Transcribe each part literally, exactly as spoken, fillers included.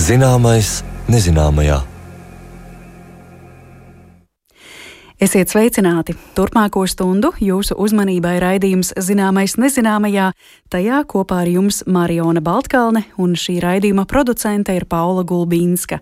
Zināmais nezināmajā. Esiet sveicināti! Turpmāko stundu jūsu uzmanībai raidījums Zināmais nezināmajā. Tajā kopā ar jums Mariona Baltkalne un šī raidījuma producente ir Paula Gulbīnska.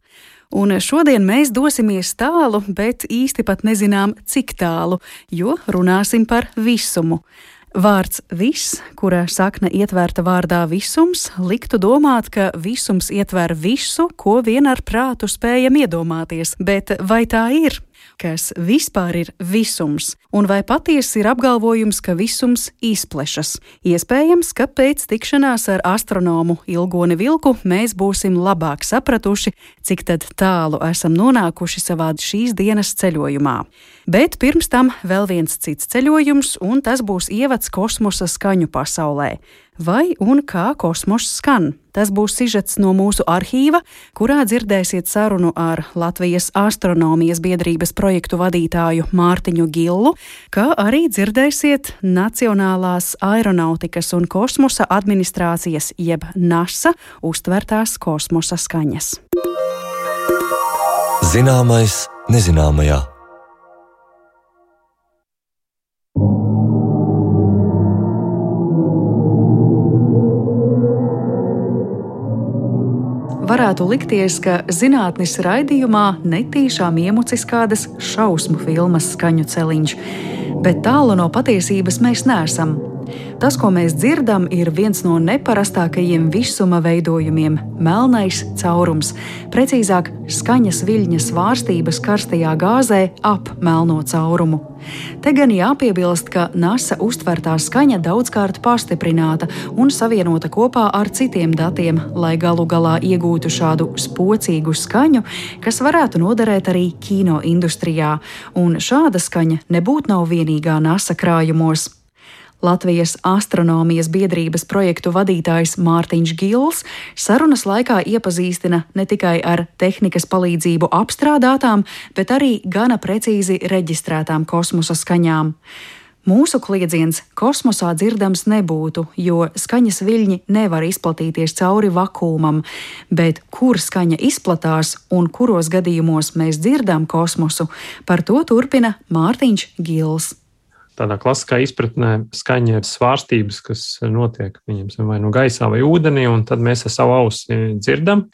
Un šodien mēs dosimies tālu, bet īsti pat nezinām, cik tālu, jo runāsim par visumu. Vārds viss, kura sakne ietverta vārdā visums, liktu domāt, ka visums ietver visu, ko vien ar prātu spējam iedomāties, bet vai tā ir? Kas vispār ir visums? Un vai patiesi ir apgalvojums, ka visums izplešas? Iespējams, ka pēc tikšanās ar astronomu Ilgoni Vilku mēs būsim labāk sapratuši, cik tad tālu esam nonākuši savā šīs dienas ceļojumā. Bet pirms tam vēl viens cits ceļojums, un tas būs ievads kosmosa skaņu pasaulē. Vai un kā kosmoss skan? Tas būs sižets no mūsu arhīva, kurā dzirdēsiet sarunu ar Latvijas astronomijas biedrības projektu vadītāju Mārtiņu Gillu, kā arī dzirdēsiet Nacionālās aeronautikas un kosmosa administrācijas jeb NASA uztvertās kosmosa skaņas. Zināmais nezināmajā. Varētu likties, ka zinātnes raidījumā netīšām iemucis kādas šausmu filmas skaņu celiņš, bet tālu no patiesības mēs neesam. Tas, ko mēs dzirdam, ir viens no neparastākajiem visuma veidojumiem – melnais caurums, precīzāk skaņas viļņa svārstības karstajā gāzē ap melno caurumu. Te gan jāpiebilst, ka NASA uztvertā skaņa daudzkārt pastiprināta un savienota kopā ar citiem datiem, lai galu galā iegūtu šādu spocīgu skaņu, kas varētu noderēt arī kino industrijā, un šāda skaņa nebūtu nav vienīgā NASA krājumos. Latvijas astronomijas biedrības projektu vadītājs Mārtiņš Gills sarunas laikā iepazīstina ne tikai ar tehnikas palīdzību apstrādātām, bet arī gana precīzi reģistrētām kosmosa skaņām. Mūsu kliedziens kosmosā dzirdams nebūtu, jo skaņas viļņi nevar izplatīties cauri vakuumam, bet kur skaņa izplatās un kuros gadījumos mēs dzirdam kosmosu, par to turpina Mārtiņš Gills. Tādā klasiskā izpratnē skaņa ir svārstības, kas notiek viņam vai no gaisā vai ūdenī, un tad mēs ar savu ausi dzirdam.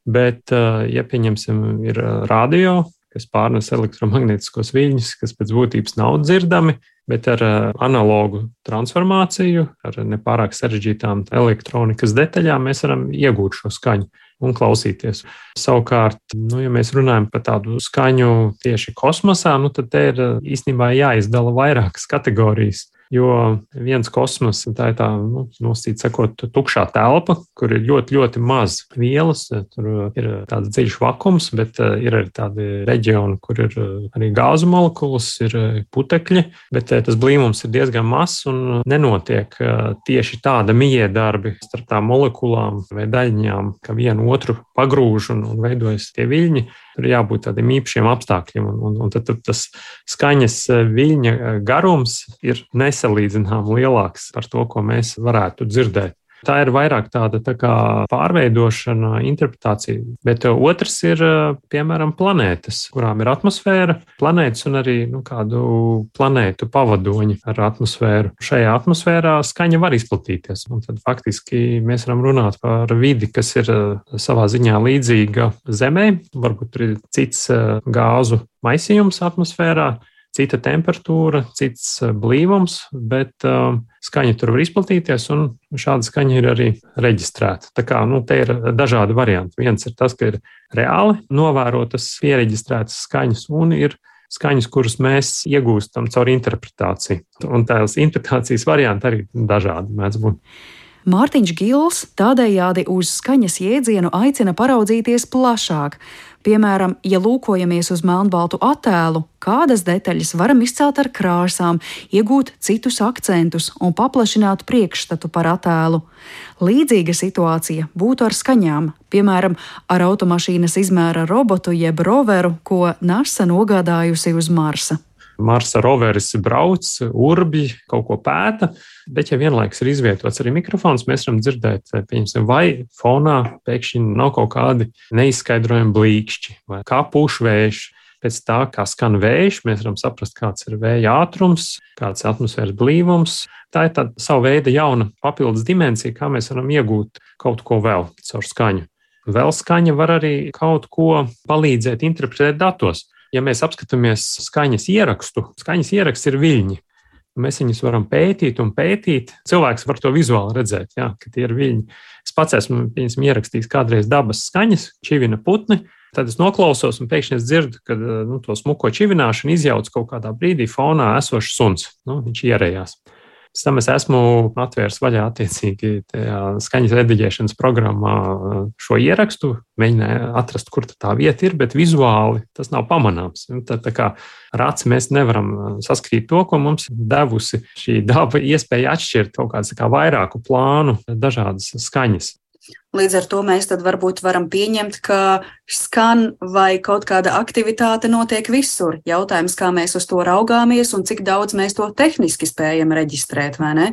Bet, ja pieņemsim, ir radio, kas pārnes elektromagnētiskos viļņus, kas pēc būtības nav dzirdami, bet ar analogu transformāciju, ar nepārāk sarežģītām elektronikas detaļām mēs varam iegūt šo skaņu un klausīties. Savukārt, nu, ja mēs runājam par tādu skaņu tieši kosmosā, nu, tad te ir īstenībā jāizdala vairākas kategorijas. Jo viens kosmos, tā ir tā, nu, nosacīt sakot, tukšā telpa, kur ir ļoti, ļoti maz vielas, tur ir tāds dziļš vakums, bet ir arī tādi reģioni, kur ir arī gāzu molekulas, ir putekļi, bet tas blīvums ir diezgan mazs un nenotiek tieši tāda miedarbi starp tām molekulām vai daļiņām, ka vienu otru pagrūž un, un veidojas tie viļņi. Tur ir jābūt tādiem īpašiem apstākļiem, un, un, un tad, tad tas skaņas viļņa garums ir nesalīdzinām lielāks par to, ko mēs varētu dzirdēt. Tā ir vairāk tāda tā kā pārveidošana, interpretācija, bet otrs ir, piemēram, planētas, kurām ir atmosfēra, planētas un arī nu, kādu planētu pavadoņi ar atmosfēru. Šajā atmosfērā skaņa var izplatīties, un tad faktiski mēs varam runāt par vidi, kas ir savā ziņā līdzīga Zemē, varbūt tur ir cits gāzu maisījums atmosfērā, cita temperatūra, cits blīvums, bet uh, skaņa tur var izplatīties, un šāda skaņa ir arī reģistrēta. Tā kā, nu, te ir dažādi varianti. Viens ir tas, ka ir reāli novērotas, piereģistrētas skaņas, un ir skaņas, kuras mēs iegūstam caur interpretāciju. Un tās interpretācijas varianti arī dažādi mēdz būt. Mārtiņš Gills tādējādi uz skaņas jēdzienu aicina paraudzīties plašāk. Piemēram, ja lūkojamies uz melnbaltu attēlu, kādas detaļas varam izcelt ar krāsām, iegūt citus akcentus un paplašināt priekšstatu par attēlu. Līdzīga situācija būtu ar skaņām, piemēram, ar automašīnas izmēra robotu jeb roveru, ko NASA nogādājusi uz Marsa. Marsa roveris brauc, urbj, kaut ko pēta, Bet, ja vienlaikus ir izvietots arī mikrofons, mēs varam dzirdēt, pieņemsim, vai fonā pēkšņi nav kaut kādi neizskaidrojami blīkšķi vai kā pūš vējš. Pēc tā, kā skan vējš, mēs varam saprast, kāds ir vēja ātrums, kāds ir atmosfēras blīvums. Tā ir tāda sava veida jauna papildus dimensija, kā mēs varam iegūt kaut ko vēl caur skaņu. Vēl skaņa var arī kaut ko palīdzēt interpretēt datos. Ja mēs apskatāmies skaņas ierakstu, skaņas ieraksts ir viļņi. Mēs viņus varam pētīt un pētīt. Cilvēks var to vizuāli redzēt, jā, ka tie ir viļņi. Es pats esmu ierakstījis kādreiz dabas skaņas, čivina putni. Tad es noklausos un pēkšņi es dzirdu, ka nu, to smuko čivināšanu izjauc kaut kādā brīdī fonā esošs suns. Nu, viņš ierējās. Pēc tam es esmu atvērs vaļā attiecīgi tajā skaņas rediģēšanas programmā šo ierakstu, mēģināju atrast, kur tā vieta ir, bet vizuāli tas nav pamanāms. Tad, tā kā ar aci mēs nevaram saskrīt to, ko mums devusi šī daba iespēja atšķirt kaut kāds kā vairāku plānu dažādas skaņas. Līdz ar to mēs tad varbūt varam pieņemt, ka skan vai kaut kāda aktivitāte notiek visur. Jautājums, kā mēs uz to raugāmies un cik daudz mēs to tehniski spējam reģistrēt, vai ne?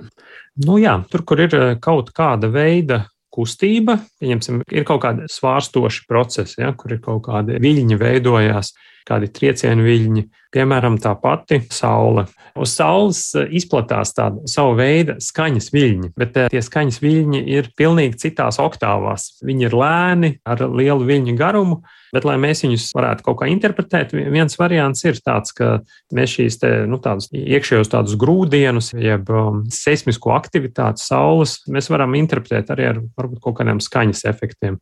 Nu jā, tur, kur ir kaut kāda veida kustība, pieņemsim, ir kaut kādi svārstoši procesi, ja, kur ir kaut kādi viļņi veidojās, kādi triecienu viļņi, piemēram, tā pati saule. Uz saules izplatās tāda sava veida skaņas viļņi, bet tie skaņas viļņi ir pilnīgi citās oktāvās. Viņi ir lēni, ar lielu viļņu garumu, bet, lai mēs viņus varētu kaut kā interpretēt, viens variants ir tāds, ka mēs šīs te, nu, tādus iekšējos tādus grūdienus, jeb um, seismisko aktivitāti saules, mēs varam interpretēt arī ar varbūt kaut kādiem skaņas efektiem.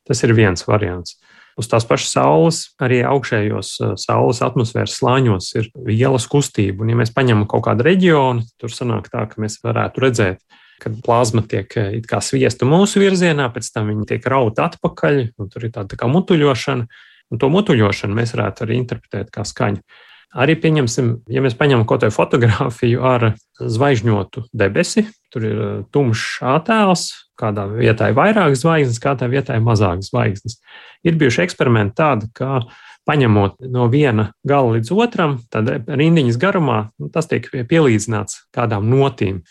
Tas ir viens variants. Uz tās pašas saules, arī augšējos saules atmosfēras slāņos ir vielas kustība. Un, ja mēs paņemam kaut kādu reģionu, tur sanāk tā, ka mēs varētu redzēt, kad plazma tiek it kā sviesta mūsu virzienā, pēc tam viņa tiek rauta atpakaļ, un tur ir tāda tā kā mutuļošana. Un to mutuļošanu mēs varētu arī interpretēt kā skaņu. Arī pieņemsim, ja mēs paņemam kaut kādu fotogrāfiju ar zvaigžņotu debesi, tur ir tumšs attēls, kādā vietā ir vairāk zvaigznes, kādā vietā ir mazāk zvaigznes. Ir bijuši eksperimenti tādi, ka paņemot no viena gala līdz otram, tad rindiņas garumā tas tiek pielīdzināts kādām notīm.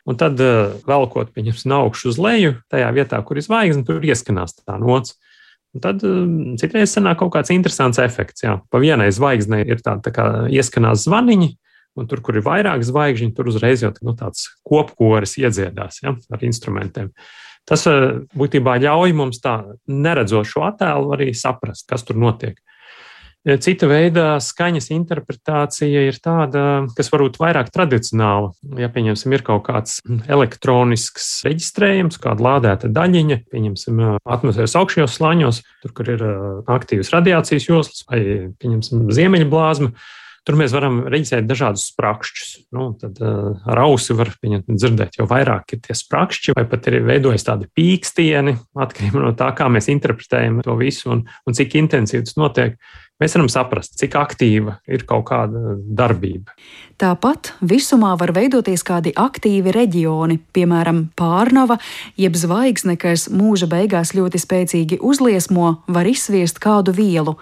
Un tad velkot, pieņemsim, no augšu uz leju, tajā vietā, kur ir zvaigzne, tur ieskanās tā nots. Un tad citreiz sanāk kaut kāds interesants efekts. Jā. Pa vienai zvaigznei ir tāda tā kā ieskanās zvaniņi, un tur, kur ir vairāk zvaigžņi, tur uzreiz jau nu, tāds kopkoris iedziedās, ja, ar instrumentiem. Tas būtībā ļauj mums tā, neredzot šo attēlu, arī saprast, kas tur notiek. Cita veida skaņas interpretācija ir tāda, kas varbūt vairāk tradicionāla. Ja, pieņemsim, ir kaut kāds elektronisks reģistrējums, kāda lādēta daļiņa, pieņemsim, atmosfēras augšējos slāņos, tur, kur ir aktīvas radiācijas joslas vai, pieņemsim, ziemeļblāzma, tur mēs varam reģistrēt dažādus sprakšķus. Nu, tad uh, ar ausi var pieņemt, dzirdēt, jo vairāk ir tie sprakšķi, vai pat ir veidojas tādi pīkstieni, atkarībā no tā, kā mēs interpretējam to visu un, un cik intensīvi tas notiek. Mēs varam saprast, cik aktīva ir kaut kāda darbība. Tāpat visumā var veidoties kādi aktīvi reģioni, piemēram, pārnava, jeb zvaigzne, kas mūža beigās ļoti spēcīgi uzliesmo, var izsviest kādu vielu.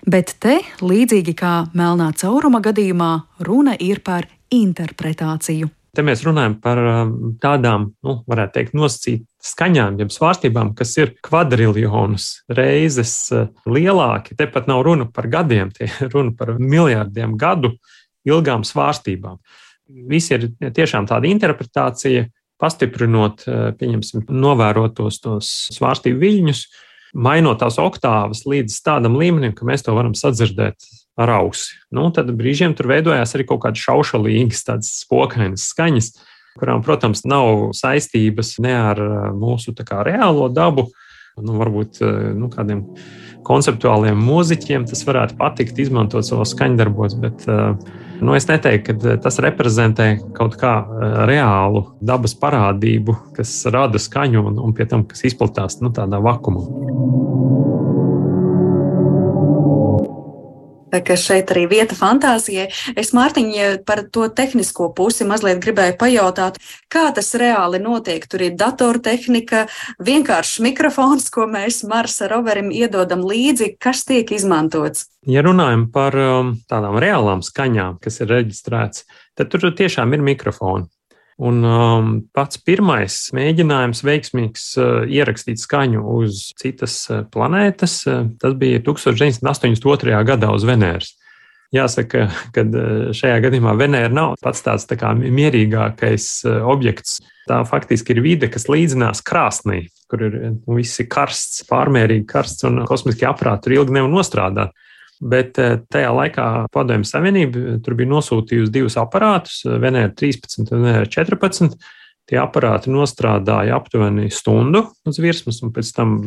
Bet te, līdzīgi kā melnā cauruma gadījumā, runa ir par interpretāciju. Te mēs runājam par tādām, nu, varētu teikt, nosacīt skaņām, jeb svārstībām, kas ir kvadriljonus reizes lielāki. Te pat nav runa par gadiem, tie runa par miljardiem gadu ilgām svārstībām. Visi ir tiešām tāda interpretācija, pastiprinot, pieņemsim, novērotos tos svārstību viļņus, mainot tās oktāvas līdz tādam līmenim, ka mēs to varam sadzirdēt ar ausi. Nu, tad brīžiem tur veidojās arī kaut kādas šaušalīgas, tādas spokainas skaņas, kurām, protams, nav saistības ne ar mūsu tā kā reālo dabu. Nu, varbūt nu, kādiem konceptuāliem mūziķiem tas varētu patikt izmantot savos skaņdarbos, bet nu, es neteiktu, ka tas reprezentē kaut kā reālu dabas parādību, kas rada skaņu un, un pie tam, kas izplatās nu, tādā vakumā. Ka šeit arī vieta fantāzijai. Es, Mārtiņ, par to tehnisko pusi mazliet gribēju pajautāt, kā tas reāli notiek. Tur ir datortehnika, vienkāršs mikrofons, ko mēs Marsa roverim iedodam līdzi, kas tiek izmantots. Ja runājam par um, tādām reālām skaņām, kas ir reģistrēts, tad tur tiešām ir mikrofoni. Un um, pats pirmais mēģinājums veiksmīgs uh, ierakstīt skaņu uz citas uh, planētas, uh, tas bija tūkstoš deviņsimt astoņdesmit otrajā gadā uz Venēras. Jāsaka, ka šajā gadījumā Venēra nav pats tāds tā kā mierīgākais uh, objekts. Tā faktiski ir vide, kas līdzinās krāsnī, kur ir nu, viss ir karsts, pārmērīgi karsts un kosmiskie aparāti tur ilgi nevar nostrādāt. Bet tajā laikā Padomju Savienība tur bija nosūtījusi divus aparātus, Venēra trīspadsmit un Venēra četrpadsmit. Tie aparāti nostrādāja aptuveni stundu uz virsmas un pēc tam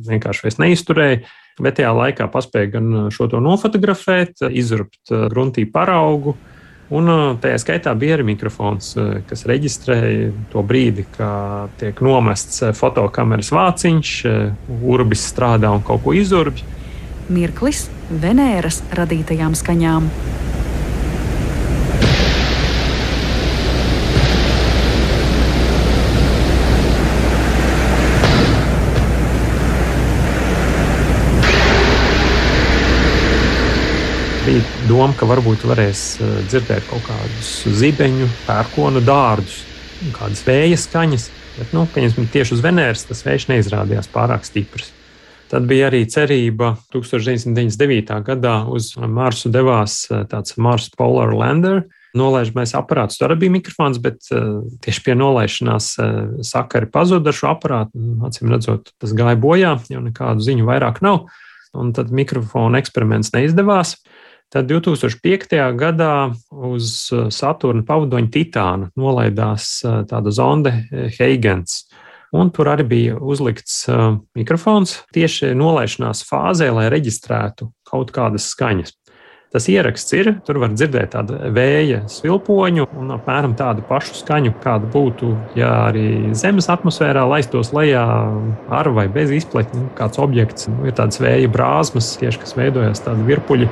vienkārši vairs neizturēja. Bet tajā laikā paspēja gan šo to nofotografēt, izurbt gruntī paraugu. Un tajā skaitā bija arī mikrofons, kas reģistrēja to brīdi, kad tiek nomests fotokameras vāciņš, urbis strādā un kaut ko izurbj. Mirklis Venēras radītajām skaņām. Bija doma, ka varbūt varēs dzirdēt kaut kādus zibeņu, pērkonu dārdus, kādas vēja skaņas, bet nu, tieši uz Venēras tas vējš neizrādījās pārāk stiprs. Tad bija arī cerība tūkstoš deviņsimt deviņdesmit devītā gadā uz Marsu devās tāds Mars Polar Lander. Nolaižamais aparāts, tur arī bija mikrofons, bet tieši pie nolaišanās sakari pazuda ar šo aparātu. Acīm redzot, tas gāja bojā, jo nekādu ziņu vairāk nav. Un tad mikrofona eksperiments neizdevās. Tad divtūkstoš piektajā gadā uz Saturna pavadoņa Titāna nolaidās tāda zonde Huygens. Un tur arī bija uzlikts uh, mikrofons tieši nolaišanās fāzē, lai reģistrētu kaut kādas skaņas. Tas ieraksts ir, tur var dzirdēt tādu vēja svilpoņu un apmēram tādu pašu skaņu, kāda būtu, ja arī Zemes atmosfērā laistos lejā ar vai bez izpletņa kāds objekts. Ir tādas vēja brāzmas, tieši kas veidojas tādi virpuļi.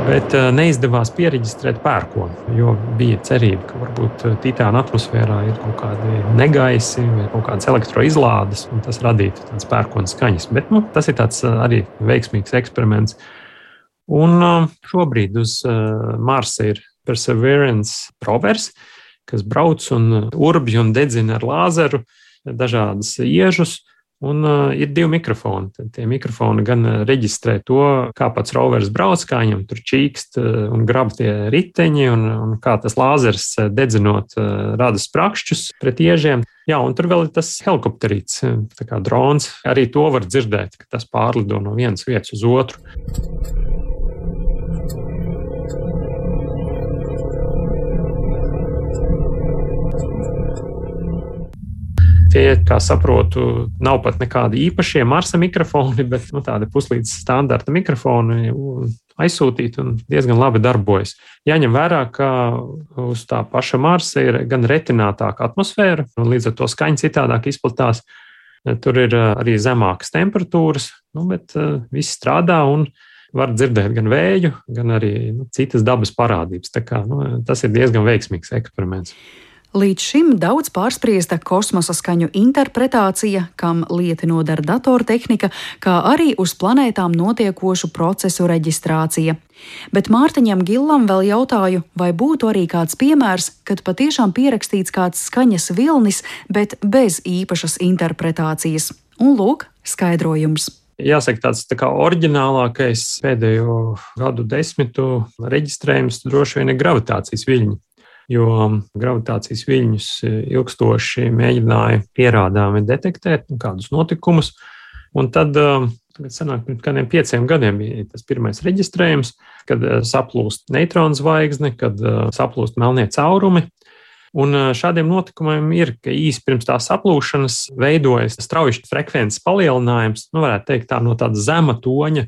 Bet neizdevās pieregistrēt pērkonu, jo bija cerība, ka varbūt Titāna atmosfērā ir kaut kādi negaisi vai kaut kādas elektroizlādes, un tas radītu tādas pērkona skaņas. Bet nu, tas ir tāds arī veiksmīgs eksperiments. Un šobrīd uz Marsa ir Perseverance rovers, kas brauc un urbj un dedzina ar lāzeru dažādas iežus. Un uh, ir divi mikrofoni. Tad tie mikrofoni gan reģistrē to, kā pats rovers brauc, kā viņam tur čīkst uh, un grab tie riteņi, un, un kā tas lāzers uh, dedzinot uh, rada sprakšķus pret iežiem. Jā, un tur vēl ir tas helikopterīts, tā kā drons. Arī to var dzirdēt, ka tas pārlido no vienas vietas uz otru. Tie, kā saprotu, nav pat nekādi īpašie Marsa mikrofoni, bet nu, tādi puslīdz standarta mikrofoni aizsūtīti un diezgan labi darbojas. Jāņem vērā, ka uz tā paša Marsa ir gan retinātāka atmosfēra, un līdz ar to skaņa citādāk izplatās. Tur ir arī zemākas temperatūras, nu, bet uh, viss strādā un var dzirdēt gan vēju, gan arī nu, citas dabas parādības. Tā kā, nu, tas ir diezgan veiksmīgs eksperiments. Līdz šim daudz pārspriesta kosmosa skaņu interpretācija, kam lieti nodara datortehnika, kā arī uz planētām notiekošu procesu reģistrācija. Bet Mārtiņam Gillam vēl jautāju, vai būtu arī kāds piemērs, kad patiešām pierakstīts kāds skaņas vilnis, bet bez īpašas interpretācijas. Un lūk, skaidrojums. Jāsaka, tāds tā kā oriģinālākais pēdējo gadu desmitu reģistrējums droši vien ir gravitācijas viļņi. Jo gravitācijas viļņus ilgstoši mēģināja pierādāmi detektēt kādus notikumus. Un tad, tagad sanāk, pirms kādiem pieciem gadiem bija tas pirmais reģistrējums, kad saplūst neutronu zvaigzne, kad saplūst melnie caurumi. Un šādiem notikumiem ir, ka īsi pirms tā saplūšanas veidojas strauji frekvences palielinājums, nu varētu teikt tā no tāda zema toņa,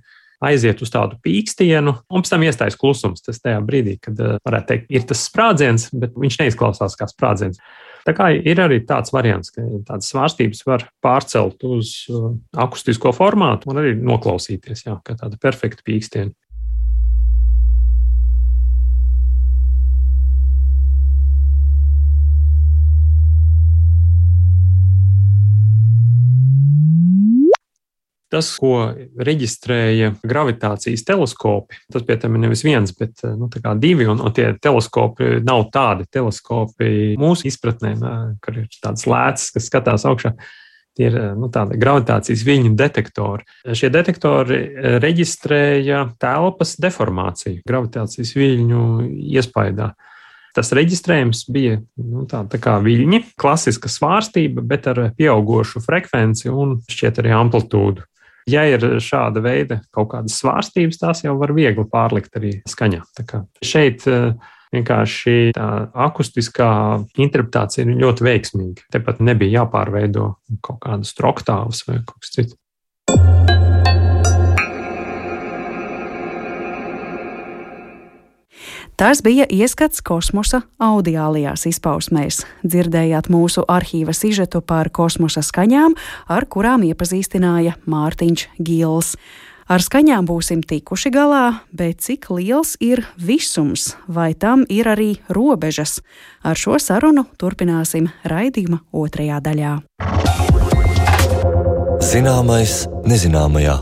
aiziet uz tādu pīkstienu, un pēc tam iestājas klusums. Tas tajā brīdī, kad, varētu teikt, ir tas sprādziens, bet viņš neizklausās kā sprādziens. Tā kā ir arī tāds variants, ka tādas svārstības var pārcelt uz akustisko formātu un arī noklausīties, jā, kā tāda perfekta pīkstiena. Tas, ko reģistrēja gravitācijas teleskopi, tas pie tam ir nevis viens, bet nu, tā kā divi, un, un tie teleskopi nav tādi teleskopi mūsu izpratnē, kur ir tāds lēts, kas skatās augšā. Tie ir nu, tādi gravitācijas viļņu detektori. Šie detektori reģistrēja telpas deformāciju gravitācijas viļņu iespaidā. Tas reģistrējums bija nu, tā, tā kā viļņi, klasiska svārstība, bet ar pieaugošu frekvenci un šķiet arī amplitūdu. Ja ir šāda veida kaut kādas svārstības, tās jau var viegli pārlikt arī skaņā. Tā kā šeit vienkārši tā akustiskā interpretācija ir ļoti veiksmīga. Tepat nebija jāpārveido kaut kādas oktāvas vai kaut kas cits. Tas bija ieskats kosmosa audiālajās izpausmēs. Dzirdējāt mūsu arhīva sižetu par kosmosa skaņām, ar kurām iepazīstināja Mārtiņš Gils. Ar skaņām būsim tikuši galā, bet cik liels ir visums, vai tam ir arī robežas? Ar šo sarunu turpināsim raidījuma otrajā daļā. Zināmais nezināmajā.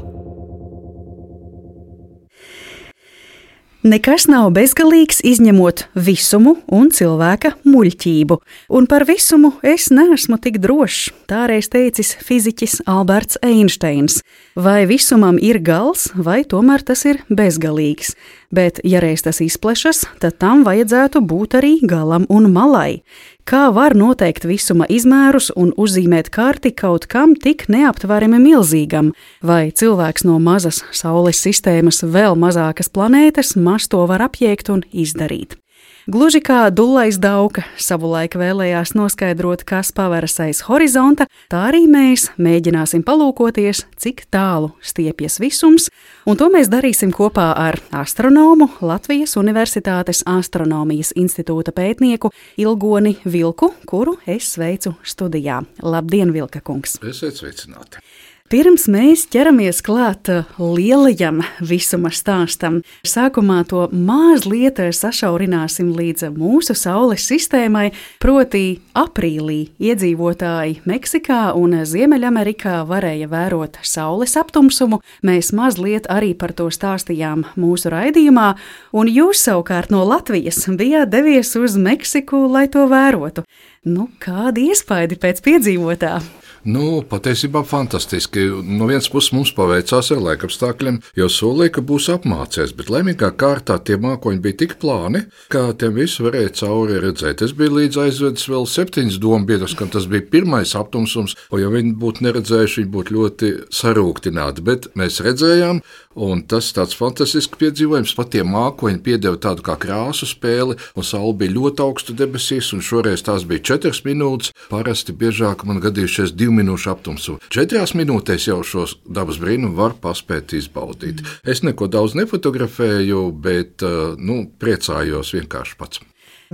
Nekas nav bezgalīgs, izņemot visumu un cilvēka muļķību. Un par visumu es neesmu tik drošs, tā reiz teicis fiziķis Alberts Einsteins. Vai visumam ir gals, vai tomēr tas ir bezgalīgs? Bet, ja reiz tas izplešas, tad tam vajadzētu būt arī galam un malai. Kā var noteikt visuma izmērus un uzzīmēt karti kaut kam tik neaptverami milzīgam? Vai cilvēks no mazas Saules sistēmas vēl mazākas planētas maz to var apjēgt un izdarīt? Gluži kā Dullais Dauka savulaik vēlējās noskaidrot, kas paveras aiz horizonta, tā arī mēs mēģināsim palūkoties, cik tālu stiepjas visums, un to mēs darīsim kopā ar astronomu, Latvijas Universitātes Astronomijas institūta pētnieku Ilgoni Vilku, kuru es sveicu studijā. Labdien, Vilka kungs! Esiet sveicināti! Pirms mēs ķeramies klāt lielajam visuma stāstam, sākumā to mazliet sašaurināsim līdz mūsu Saules sistēmai, proti aprīlī iedzīvotāji Meksikā un Ziemeļamerikā varēja vērot Saules aptumsumu. Mēs mazliet arī par to stāstījām mūsu raidījumā, un jūs savukārt no Latvijas bijāt devies uz Meksiku, lai to vērotu. Nu, kādi iespaidi pēc piedzīvotā? Nu, patiesībā fantastiski. No vienas puses mums paveicās ar laikapstākļiem, jo solīja, ka būs apmācies, bet laimīgā kārtā tie mākoņi bija tik plāni, ka tiem visu varēja cauri redzēt. Es biju līdz aizvedis vēl septiņas dombiedrus, kam tas bija pirmais aptumsums, un ja viņi būtu neredzējuši, viņi būtu ļoti sarūktināti, bet mēs redzējām, un tas tāds fantastisks piedzīvojums, pat tie mākoņi piedeva tādu kā krāsu spēli, un saule bija ļoti augstu debesīs, un šoreiz tās bija četras minūtes, parasti biežāk man gadījušies divu minūšu aptumsu. Četrās minūtēs jau šos dabas brīnumu var paspēt izbaudīt. Es neko daudz nefotografēju, bet nu, priecājos vienkārši pats.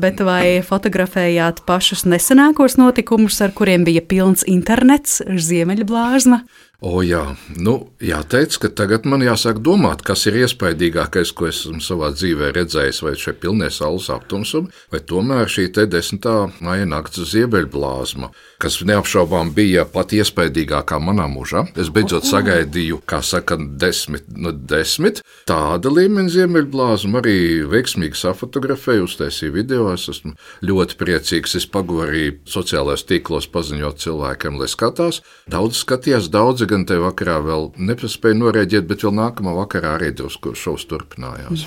Bet vai fotografējāt pašus nesenākos notikumus, ar kuriem bija pilns internets, Ziemeļblāzma? O jā, nu jāteic, ka tagad man jāsāk domāt, kas ir iespaidīgākais, ko esmu savā dzīvē redzējis, vai šie pilnie saules aptumsumi, vai tomēr šī te desmitā maija nakts Ziemeļblāzma, kas neapšaubām bija pat iespaidīgākā manā mūžā. Es beidzot sagaidīju, kā saka, desmit no desmit. Tāda līmeņa Ziemeļblāzma arī veiksmīgi safotografēju, uztaisīju video. Es esmu ļoti priecīgs. Es paguvu arī sociālajos tīklos paziņot cilvēkiem, lai skatās. Daudz skatījās, daudzi gan te vakarā vēl nepaspēja norēģēt, bet vēl nākamā vakarā arī drusku šovs turpinājās.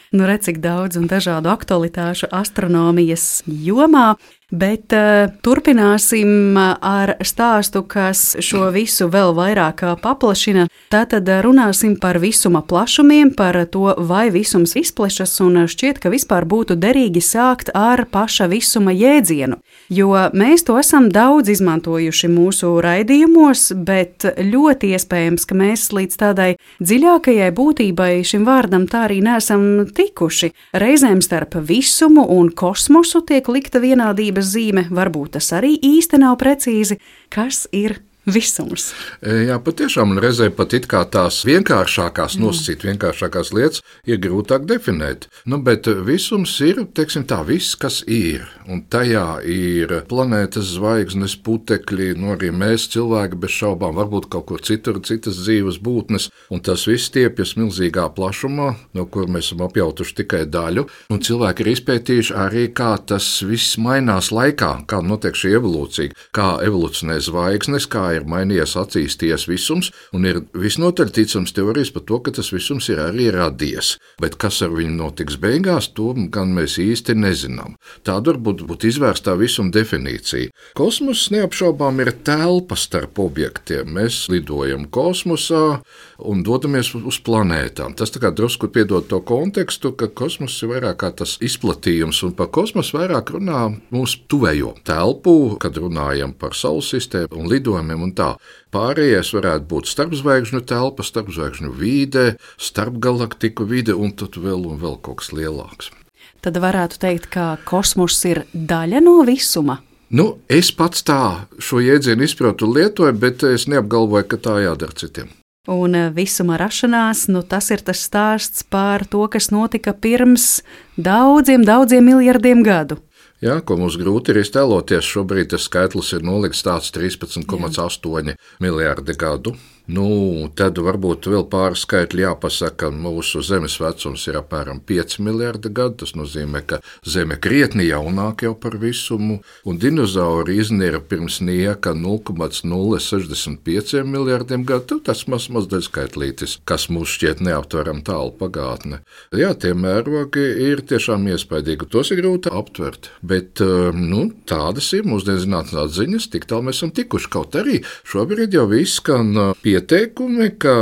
Nu, redz, cik daudz un dažādu aktualitāšu astronomijas jomā, bet uh, turpināsim ar stāstu, kas šo visu vēl vairāk paplašina. Tātad runāsim par visuma plašumiem, par to, vai visums izplešas, un šķiet, ka vispār būtu derīgi sākt ar paša visuma jēdzienu, jo mēs to esam daudz izmantojuši mūsu raidījumos, bet ļoti iespējams, ka mēs līdz tādai dziļākajai būtībai šim vārdam tā arī neesam tikuši. Reizēm starp visumu un kosmosu tiek likta vienādības zīme, varbūt tas arī īsti nav precīzi. Kas ir visums. Jā, patiešām, un reizē pat it kā tās vienkāršākās nosacīt, vienkāršākās lietas ir grūtāk definēt. Nu, bet visums ir, teiksim tā, viss, kas ir. Un tajā ir planētas, zvaigznes, putekļi, nu arī mēs cilvēki bez šaubām, varbūt kaut kur citur, citas dzīves būtnes, un tas viss stiepjas milzīgā plašumā, no kur mēs esam apjautuši tikai daļu, un cilvēki ir izpētījuši arī, kā tas viss mainās laikā, kā notiek šī evolūcija, kā evolucionē zvaigznes, kā ir mainījies, attīstījies visums, un ir visnotaļ ticams teorijas par to, ka tas visums ir arī radies. Bet kas ar viņu notiks beigās, to gan mēs īsti nezinām. Tāda varbūt būtu izvērstā visuma definīcija. Kosmos neapšaubām ir telpa starp objektiem. Mēs lidojam kosmosā un dodamies uz planētām. Tas tā kā drusku piedod to kontekstu, ka kosmos ir vairāk kā tas izplatījums, un par kosmosu vairāk runā mūsu tuvējo telpu, kad runājam par Saules sistēmu un lidojumiem un tā. Pārējais varētu būt starpzvaigžņu telpa, starpzvaigžņu vide, starpgalaktiku vide un tad vēl un vēl kaut kas lielāks. Tad varētu teikt, ka kosmos ir daļa no visuma. Nu, es pats tā šo jēdzienu izprotu un lietoju, bet es neapgalvoju, ka tā jādara citiem. Un visuma rašanās, nu tas ir tas stāsts par to, kas notika pirms daudziem, daudziem miljardiem gadu. Jā, ko mums grūti ir iztēloties, šobrīd tas skaitlis ir nolikts tāds trīspadsmit komats astoņi miljardi gadu. Nu, tad varbūt vēl pāris skaitļi jāpasaka, mūsu Zemes vecums ir apmēram pieci miljardi gadu, tas nozīmē, ka Zeme krietni jaunāk jau par visumu, un dinozauri iznira pirms nieka nulle komats nulle sešdesmit pieci miljardiem gadu, tas maz mazdaļ skaitlītis, kas mums šķiet neaptveram tālu pagātne. Jā, tie mērogi ir tiešām iespaidīgi, tos ir grūti aptvert, bet, nu, tādas ir mūsdienu zinātnās ziņas, tik tālu mēs esam tikuši, kaut arī šobrīd jau viss skan pie Ieteikumi, ka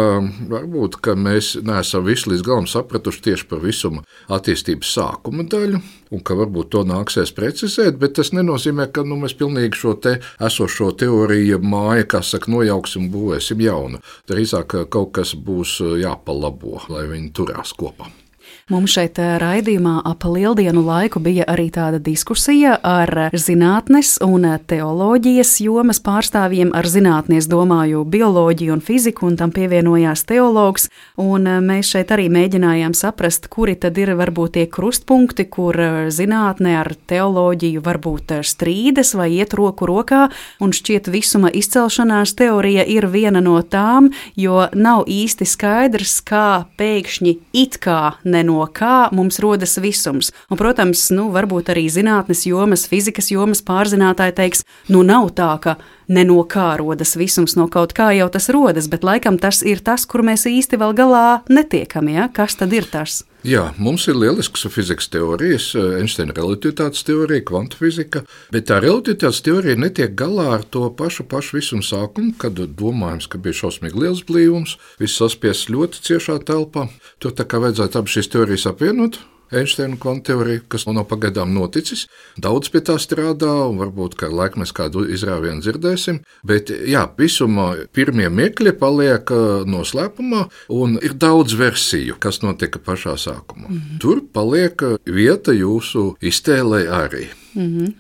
varbūt ka mēs neesam visu līdz galam sapratuši tieši par visuma attīstības sākuma daļu, un ka varbūt to nāksies precizēt, bet tas nenozīmē, ka nu, mēs pilnīgi šo te esošo teoriju māju, kā saka, nojauksim un būvēsim jaunu. Drīzāk kaut kas būs jāpalabo, lai viņi turās kopā. Mums šeit raidījumā ap lieldienu laiku bija arī tāda diskusija ar zinātnes un teoloģijas jomas pārstāvjiem. Ar zinātnes domāju bioloģiju un fiziku, un tam pievienojās teologs. Un mēs šeit arī mēģinājām saprast, kuri tad ir varbūt tie krustpunkti, kur zinātne ar teoloģiju varbūt strīdas vai iet roku rokā. Un šķiet visuma izcelšanās teorija ir viena no tām, jo nav īsti skaidrs, kā pēkšņi it kā neno no kā mums rodas visums. Un, protams, nu, varbūt arī zinātnes jomas, fizikas jomas pārzinātāji teiks, nu nav tā, ka ne no kā rodas visums, no kaut kā jau tas rodas, bet laikam tas ir tas, kur mēs īsti vēl galā netiekam, ja? Kas tad ir tas? Jā, mums ir lielisks fizikas teorijas, Einsteina relativitātes teorija, kvantu fizika, bet tā relativitātes teorija netiek galā ar to pašu, pašu visumu sākumu, kad domājams, ka bija šausmīgi liels blīvums, viss saspiests ļoti ciešā telpā. Tur tā kā vajadzētu abas šīs teorijas apvienot. Einsteina kvantu teorija, kas nav pagaidām noticis. Daudz pie tā strādā, un varbūt, ka laik mēs kādu izrāvienu dzirdēsim. Bet, jā, visumā pirmie mirkļi paliek noslēpumā, un ir daudz versiju, kas notika pašā sākumā. Mm-hmm. Tur paliek vieta jūsu iztēlē arī. Mm-hmm.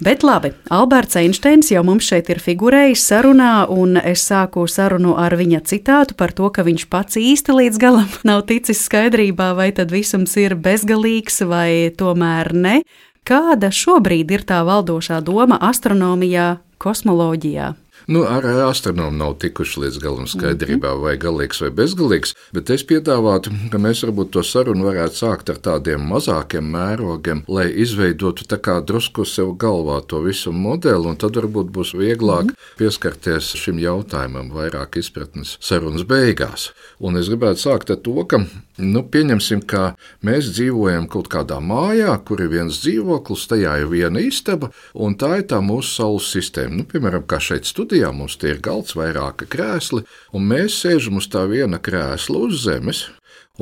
Bet labi, Alberts Einsteins jau mums šeit ir figurējis sarunā, un es sāku sarunu ar viņa citātu par to, ka viņš pats īsti līdz galam nav ticis skaidrībā, vai tad visums ir bezgalīgs vai tomēr ne. Kāda šobrīd ir tā valdošā doma astronomijā, kosmoloģijā? Nu, arī astronomi nav tikuši līdz galam skaidrībā, vai galīgs vai bezgalīgs, bet es piedāvātu, ka mēs varbūt to sarunu varētu sākt ar tādiem mazākiem mērogiem, lai izveidotu tā kā drusku sev galvā to visu modeli, un tad varbūt būs vieglāk pieskarties šim jautājumam, vairāk izpratnes sarunas beigās. Un es gribētu sākt ar to, ka, nu, pieņemsim, ka mēs dzīvojam kaut kādā mājā, kur ir viens dzīvoklis, tajā ir viena istaba, un tā ir tā mūsu Saules sistēma. Nu, piemēram, kā šeit studijā, mums tie ir galds, vairāki krēsli, un mēs sēžam uz tā viena krēsla uz zemes,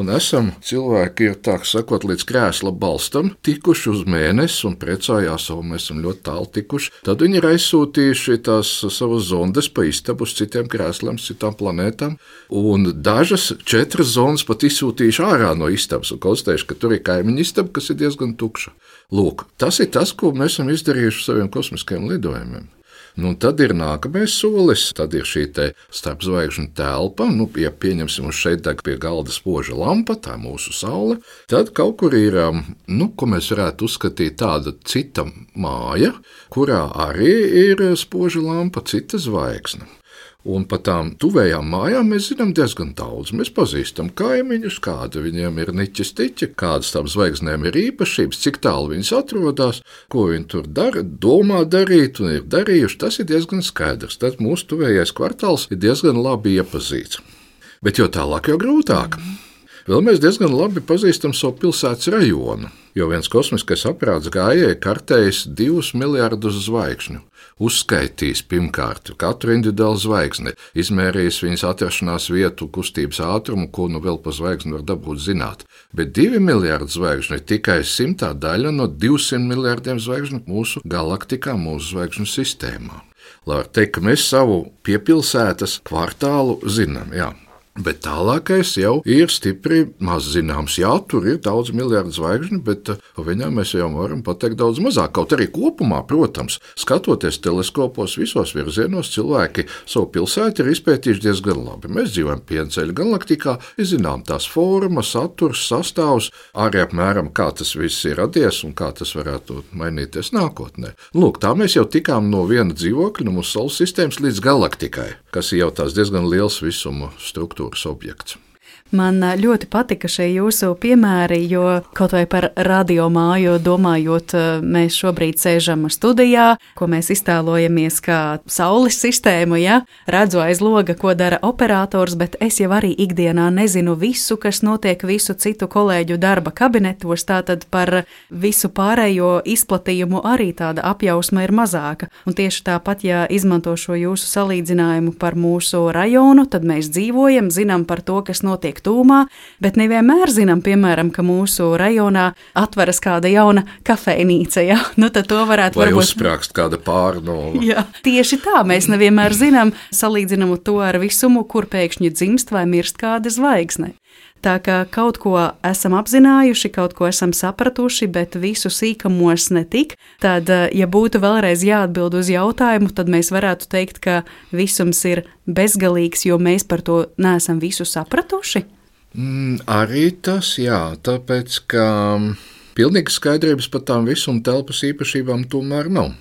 un esam cilvēki, ir tā sakot, līdz krēsla balstam tikuši uz mēnesi un priecājās, un mēs esam ļoti tālu tikuši. Tad viņi ir aizsūtījuši tās savas zondes pa istabu uz citiem krēsliem, citām planētām, un dažas četras zonas pat izsūtījuši ārā no istabas un konstatējuši, ka tur ir kaimiņa istaba, kas ir diezgan tukša. Lūk, tas ir tas, ko mēs esam izdarījuši saviem kosmiskajiem lidojumiem. Nu, tad ir nākamais solis, tad ir šī te starpzvaigžņu telpa, nu, ja pieņemsim uz šeit deg pie galda spoža lampa, tā mūsu saule, tad kaut kur ir, nu, ko mēs varētu uzskatīt tāda cita māja, kurā arī ir spoža lampa, cita zvaigzne. Un par tām tuvējām mājām mēs zinām diezgan daudz. Mēs pazīstam kaimiņus, kāda viņiem ir niķis tiķi, kādas tām zvaigznēm ir īpašības, cik tālu viņas atrodas, ko viņi tur dara, domā darīt un ir darījuši. Tas ir diezgan skaidrs. Tad mūsu tuvējais kvartāls ir diezgan labi iepazīts. Bet jo tālāk, jo grūtāk. Vēl mēs diezgan labi pazīstam savu pilsētas rajonu, jo viens kosmiskais aparāts gājēji kartējis divus miljardus zvaigžņu. Uzskaitījis pirmkārt katru individuālu zvaigzni, izmērījis viņas atrašanās vietu, kustības ātrumu, ko nu vēl pa zvaigzni var dabūt zināt. Bet divi miljardi zvaigžņu ir tikai simtā daļa no divsimt miljardiem zvaigžņu mūsu galaktikā, mūsu zvaigžņu sistēmā. Lai var teikt, ka mēs savu piepilsētas kvartālu zinām, jā. Bet tālākais jau ir stipri maz zināms. Jā, tur ir daudz miljardu zvaigžņu, bet par viņām mēs jau varam pateikt daudz mazāk. Kaut arī kopumā, protams, skatoties teleskopos visos virzienos, cilvēki savu pilsētu ir izpētījuši diezgan labi. Mēs dzīvojam Pienceļa galaktikā, zinām tās formas, saturs, sastāvs, arī apmēram kā tas viss ir radies un kā tas varētu mainīties nākotnē. Lūk, tā mēs jau tikām no viena dzīvokļa, no mūsu saules sistēmas līdz galaktikai, kas ir jau tās diezgan liels visuma struktūra. Objekts. Man ļoti patika šie jūsu piemēri, jo kaut vai par radiomāju domājot, mēs šobrīd sēžam studijā, ko mēs iztēlojamies kā saules sistēmu, ja? Redzu aiz loga, ko dara operators, bet es jau arī ikdienā nezinu visu, kas notiek visu citu kolēģu darba kabinetos, tātad par visu pārējo izplatījumu arī tāda apjausma ir mazāka. Un tieši tāpat, ja izmanto šo jūsu salīdzinājumu par mūsu rajonu, tad mēs dzīvojam, zinām par to, kas notiek tūmā, bet nevienmēr zinām, piemēram, ka mūsu rajonā atveras kāda jauna kafejnīca, ja? Nu, tad to varētu vai varbūt... uzsprāgst kāda pārnova. Jā, tieši tā, mēs nevienmēr zinām, salīdzinām to ar visumu, kur pēkšņi dzimst vai mirst kāda zvaigzne. Tā kā kaut ko esam apzinājuši, kaut ko esam sapratuši, bet visu sīkamos netik, tad, ja būtu vēlreiz jāatbild uz jautājumu, tad mēs varētu teikt, ka visums ir bezgalīgs, jo mēs par to neesam visu sapratuši? Mm, arī tas, jā, tāpēc, ka pilnīgas skaidrības par tām visuma telpas īpašībām tomēr nav.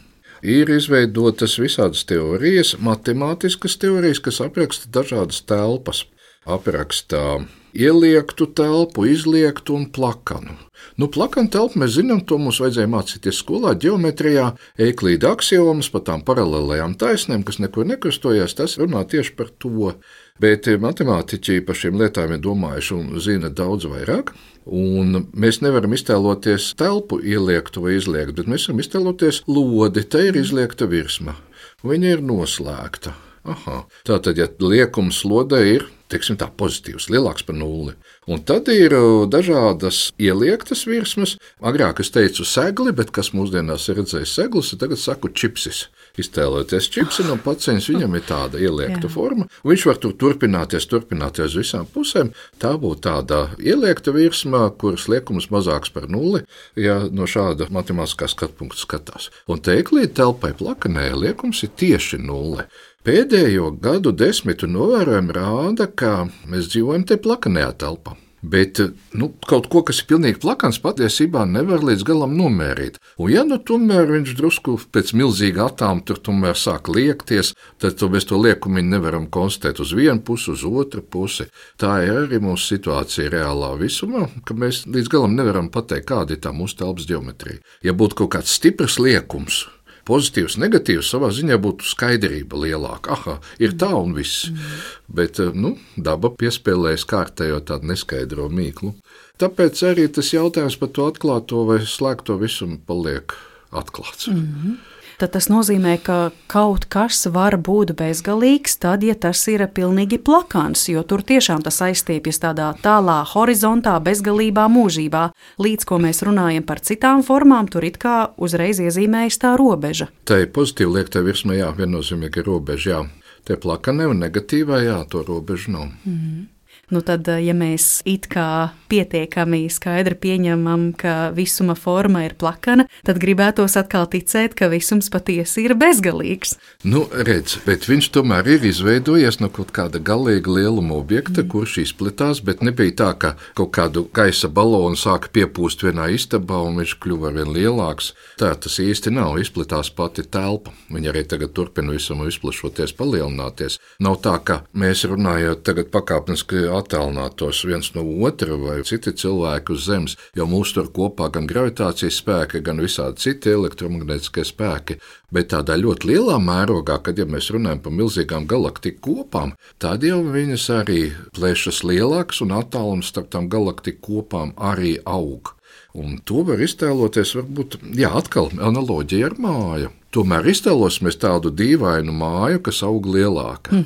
Ir izveidotas visādas teorijas, matemātiskas teorijas, kas apraksta dažādas telpas. Aprakstā ieliektu telpu, izliektu un plakanu. Nu, plakanu telpu mēs zinām, to mums vajadzēja mācīties skolā, ģeometrijā, Eiklīda aksiomas par tām paralēlajām taisnēm, kas nekur nekrustojās, tas runā tieši par to. Bet matemātiķi par šīm lietām ir domājuši un zina daudz vairāk. Un mēs nevaram iztēloties telpu ieliektu vai izliektu, bet mēs varam iztēloties lodi, te ir izliekta virsma. Viņa ir noslēgta. Aha. Tātad, ja liekums lodē ir, teiksim tā, pozitīvs, lielāks par nulli. Un tad ir dažādas ieliektas virsmas. Agrāk es teicu segli, bet kas mūsdienās ir redzējis seglis, tagad saku čipsis. Iztēloties čipsi no paciņas, viņam ir tāda ieliekta forma. Viņš var tur turpināties, turpināties uz visām pusēm. Tā būtu tāda ieliekta virsma, kuras liekums mazāks par nulli, ja no šāda matemātiskā skatpunkta skatās. Un Eiklīda telpai plakanē liekums ir tieši nulle. Pēdējo gadu desmitu novērojumi rāda, ka mēs dzīvojam te plakanajā telpā. Bet nu, kaut ko, kas ir pilnīgi plakans, patiesībā nevar līdz galam nomērīt. Un ja nu tomēr viņš drusku pēc milzīga atāma tur tomēr sāk liekties, tad to mēs to liekumiņu nevaram konstatēt uz vienu pusi, uz otru pusi. Tā ir arī mūsu situācija reālā visumā, ka mēs līdz galam nevaram pateikt, kāda ir tā mūsu telpas ģeometrija. Ja būtu kaut kāds stiprs liekums, pozitīvs, negatīvs, savā ziņā būtu skaidrība lielāka. Aha, ir tā un viss. Mm. Bet, nu, daba piespēlējas kārtējo tādu neskaidro mīklu. Tāpēc arī tas jautājums par to atklāto vai slēgto visumu paliek atklāts. Mm-hmm. Tad tas nozīmē, ka kaut kas var būt bezgalīgs, tad, ja tas ir pilnīgi plakans, jo tur tiešām tas aizstiepjas tādā tālā horizontā, bezgalībā mūžībā. Līdz ko mēs runājam par citām formām, tur it kā uzreiz iezīmējas tā robeža. Tā ir pozitīva liekta virsma, jā, viennozīmīgi robeža, jā. Te plakanē un negatīvā, jā, to robežu nav. Mm. Nu tad, ja mēs it kā pietiekami skaidri pieņemam, ka visuma forma ir plakana, tad gribētos atkal ticēt, ka visums patiesi ir bezgalīgs. Nu, redz, bet viņš tomēr ir izveidojies no kaut kāda galīga lieluma objekta, mm. kurš izplatās, bet nebija tā, ka kaut kādu gaisa balonu sāka piepūst vienā istabā un viņš kļuva arvien lielāks. Tā tas īsti nav, izplatās pati telpa. Viņa arī tagad turpina visam izplašoties, palielināties. Nav tā, ka mēs runājot tagad pakāpeniski attālinātos viens no otra vai citi cilvēki uz Zemes, jo mūs tur kopā gan gravitācijas spēki, gan visādi citi elektromagnētiskie spēki, bet tādā ļoti lielā mērogā, kad ja mēs runājam par milzīgām galaktiku kopām, tad jau viņas arī plēšas lielākas un attālums starp tām galaktiku kopām arī aug. Un to var iztēloties, varbūt, jā, atkal analoģija ar māju. Tomēr iztēlosimies tādu dīvainu māju, kas aug lielāka.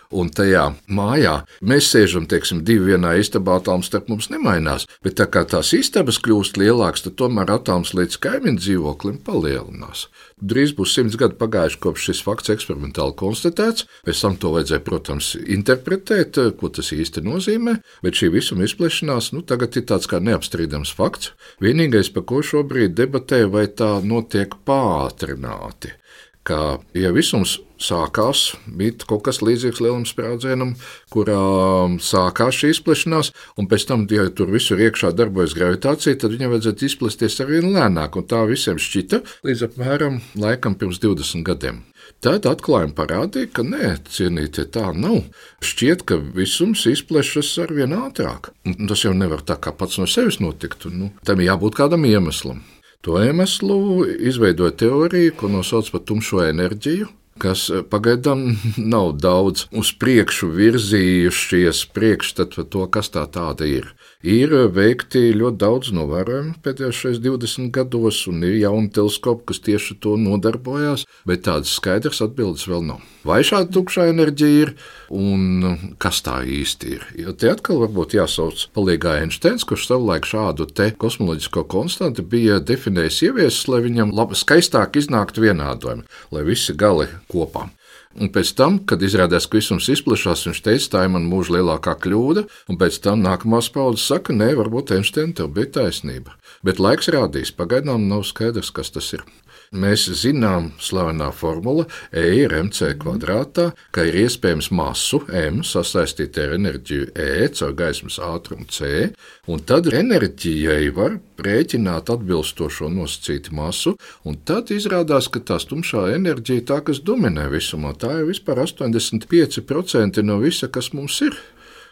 Un tajā mājā mēs sēžam, teiksim, divi vienā istabā, attālums starp mums nemainās, bet tā kā tās istabas kļūst lielākas, tad tomēr attālums līdz kaimiņu dzīvoklim palielinās. Drīz būs simts gadi pagājuši, kopš šis fakts eksperimentāli konstatēts, pēc tam to vajadzēja, protams, interpretēt, ko tas īsti nozīmē, bet šī visuma izplešanās, nu, tagad ir tāds kā neapstrīdams fakts. Vienīgais, par ko šobrīd debatē, vai tā notiek pātrināti, ka, ja visums sākās, bija kaut kas līdzīgs lielam sprādzienam, kurā sākās šī izplešanās, un pēc tam, ja tur visur iekšā darbojas gravitācija, tad viņai vajadzētu izplesties arvien lēnāk, un tā visiem šķita līdz apmēram laikam pirms divdesmit gadiem. Tad atklājumi parādīja, ka nē, cienītie, tā nav. Šķiet, ka visums izplešas arvien ātrāk. Un tas jau nevar tā kā pats no sevis notikt, nu, tam jābūt kādam iemeslam. To iemeslu izveidoja teoriju, ko nosauc par tumšo enerģiju, kas pagaidām nav daudz uz priekšu virzījušies priekšstat par to, kas tā tāda ir. Ir veikti ļoti daudz novērojumu pēdējos divdesmit gados, un ir jauni teleskopi, kas tieši to nodarbojās, bet tādas skaidras atbildes vēl nav. Vai šāda tukšā enerģija ir, un kas tā īsti ir? Jo te atkal varbūt jāsauc palīgā Einsteins, kurš savulaik šādu te kosmoloģisko konstantu bija definējis ieviesis, lai viņam labi, skaistāk iznāktu vienādojumi, lai visi gali kopā. Un pēc tam, kad izrādās, ka visums izplešās, viņš teica, tā ir man mūža lielākā kļūda, un pēc tam nākamās paudzes saka, nē, varbūt Einsteina tev bija taisnība. Bet laiks rādīs, pagaidām nav skaidrs, kas tas ir. Mēs zinām slavenā formula E ir mc kvadrātā, ka ir iespējams masu M sasaistīt ar enerģiju E caur gaismas ātrumu C, un tad enerģijai var rēķināt atbilstošo nosacītu masu, un tad izrādās, ka tā tumšā enerģija tā, kas dominē visumā, tā ir vispār astoņdesmit pieci procenti no visa, kas mums ir.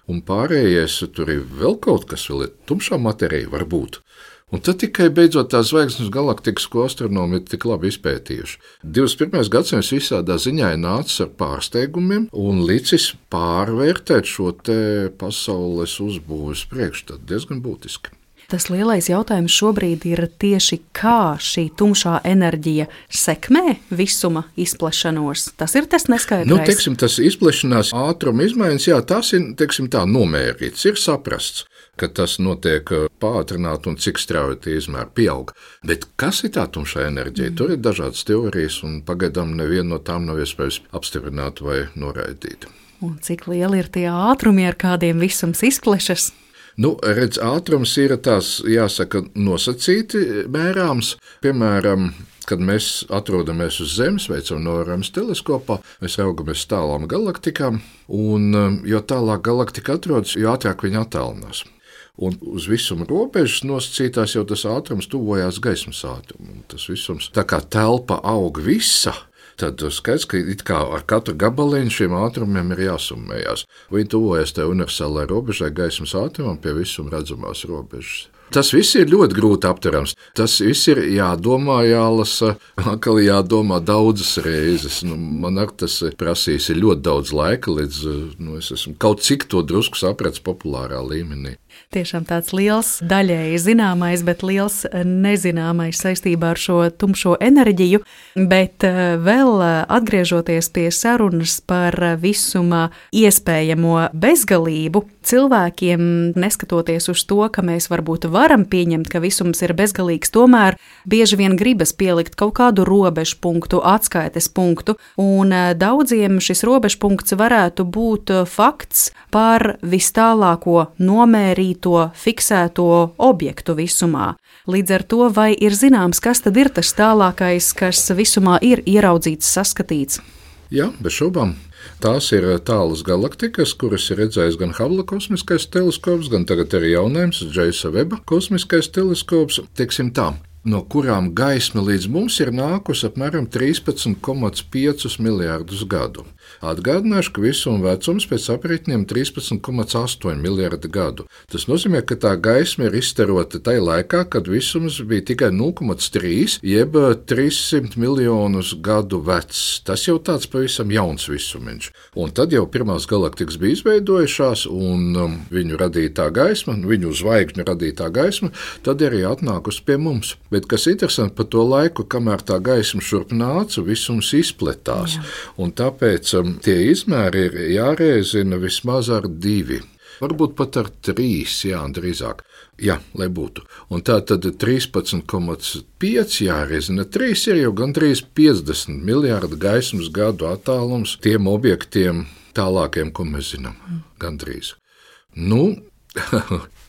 Un pārējais tur ir vēl kaut kas, vēl ir tumšā matērija varbūt. Un tad tikai beidzot tās zvaigznes galaktikas, ko astronomi ir tik labi izpētījuši. divdesmit pirmais gadsimts visādā ziņā ir nācis ar pārsteigumiem un licis pārvērtēt šo te pasaules uzbūves priekšstatu diezgan būtiski. Tas lielais jautājums šobrīd ir tieši, kā šī tumšā enerģija sekmē visuma izplešanos. Tas ir tas neskaidrais. Nu, teiksim, tas izplešanās ātruma izmaiņas, jā, tas ir, teiksim, tā nomērīts, ir saprasts, ka tas notiek pātrināt un cik strauji tie izmēri pieaug. Bet kas ir tā tumšā enerģija? Mm. Tur ir dažādas teorijas, un pagaidām neviena no tām nav iespējams apstiprināt vai noraidīt. Un cik lieli ir tie ātrumi, ar kādiem visums izplešas? Nu, redz, ātrums ir tās, jāsaka, nosacīti mērāms. Piemēram, kad mēs atrodamies uz Zemes, veicam novērojums teleskopā, mēs raugamies tālām galaktikām, un jo tālāk galaktika atrodas, jo ātrāk viņa attālinās. Un uz visuma robežas nosacītās jau tas ātrums tuvojās gaismas ātrumam. Tas visums, tā kā telpa aug visa, tad skaidrs, ka it kā ar katru gabaliņu šiem ātrumiem ir jāsummējās. Viņi tuvojas tai universālai robežai gaismas ātrumam pie visuma redzamās robežas. Tas viss ir ļoti grūti aptverams. Tas viss ir jādomā, jālasa, atkal jādomā daudzas reizes. Nu, man ar tas prasīs ļoti daudz laika, līdz nu, es esmu kaut cik to drusku sapratis populārā līmenī. Tiešām tāds liels, daļēji zināmais, bet liels nezināmais saistībā ar šo tumšo enerģiju. Bet vēl atgriežoties pie sarunas par visuma iespējamo bezgalību, cilvēkiem, neskatoties uz to, ka mēs varbūt varam pieņemt, ka visums ir bezgalīgs, tomēr bieži vien gribas pielikt kaut kādu robežu punktu, atskaites punktu, un daudziem šis robežu punkts varētu būt fakts par vistālāko nomērīto, fiksēto objektu visumā. Līdz ar to, vai ir zināms, kas tad ir tas tālākais, kas visumā ir ieraudzīts, saskatīts? Jā, bez šaubām. Tās ir tālas galaktikas, kuras ir redzējis gan Hubble kosmiskais teleskops, gan tagad arī jaunais Džeimsa Veba kosmiskais teleskops, teiksim tā, no kurām gaisma līdz mums ir nākusi apmēram trīspadsmit komats pieci miljārdus gadu. Atgādināšu, ka visuma vecums pēc aprēķiniem trīspadsmit komats astoņi miljārdi gadu. Tas nozīmē, ka tā gaisma ir izstarota tajā laikā, kad visums bija tikai nulle komats trīs, jeb trīssimt miljonus gadu vecs. Tas jau tāds pavisam jauns visumiņš. Un tad jau pirmās galaktikas bija izveidojušās, un um, viņu radītā gaisma, viņu zvaigžņu radītā gaisma, tad arī atnākusi pie mums. Bet kas interesanti par to laiku, kamēr tā gaisma šurp nāca, visums izpletās. Jā. Un tāpēc um, tie izmēri ir jārēzina vismaz ar divi. Varbūt pat ar trīs, jā, drīzāk. Jā, lai būtu. Un tā tad trīspadsmit komats pieci jārēzina trīs ir jau gandrīz piecdesmit miljārdu gaismas gadu attālums tiem objektiem tālākiem, ko mēs zinām. Gandrīz. Nu,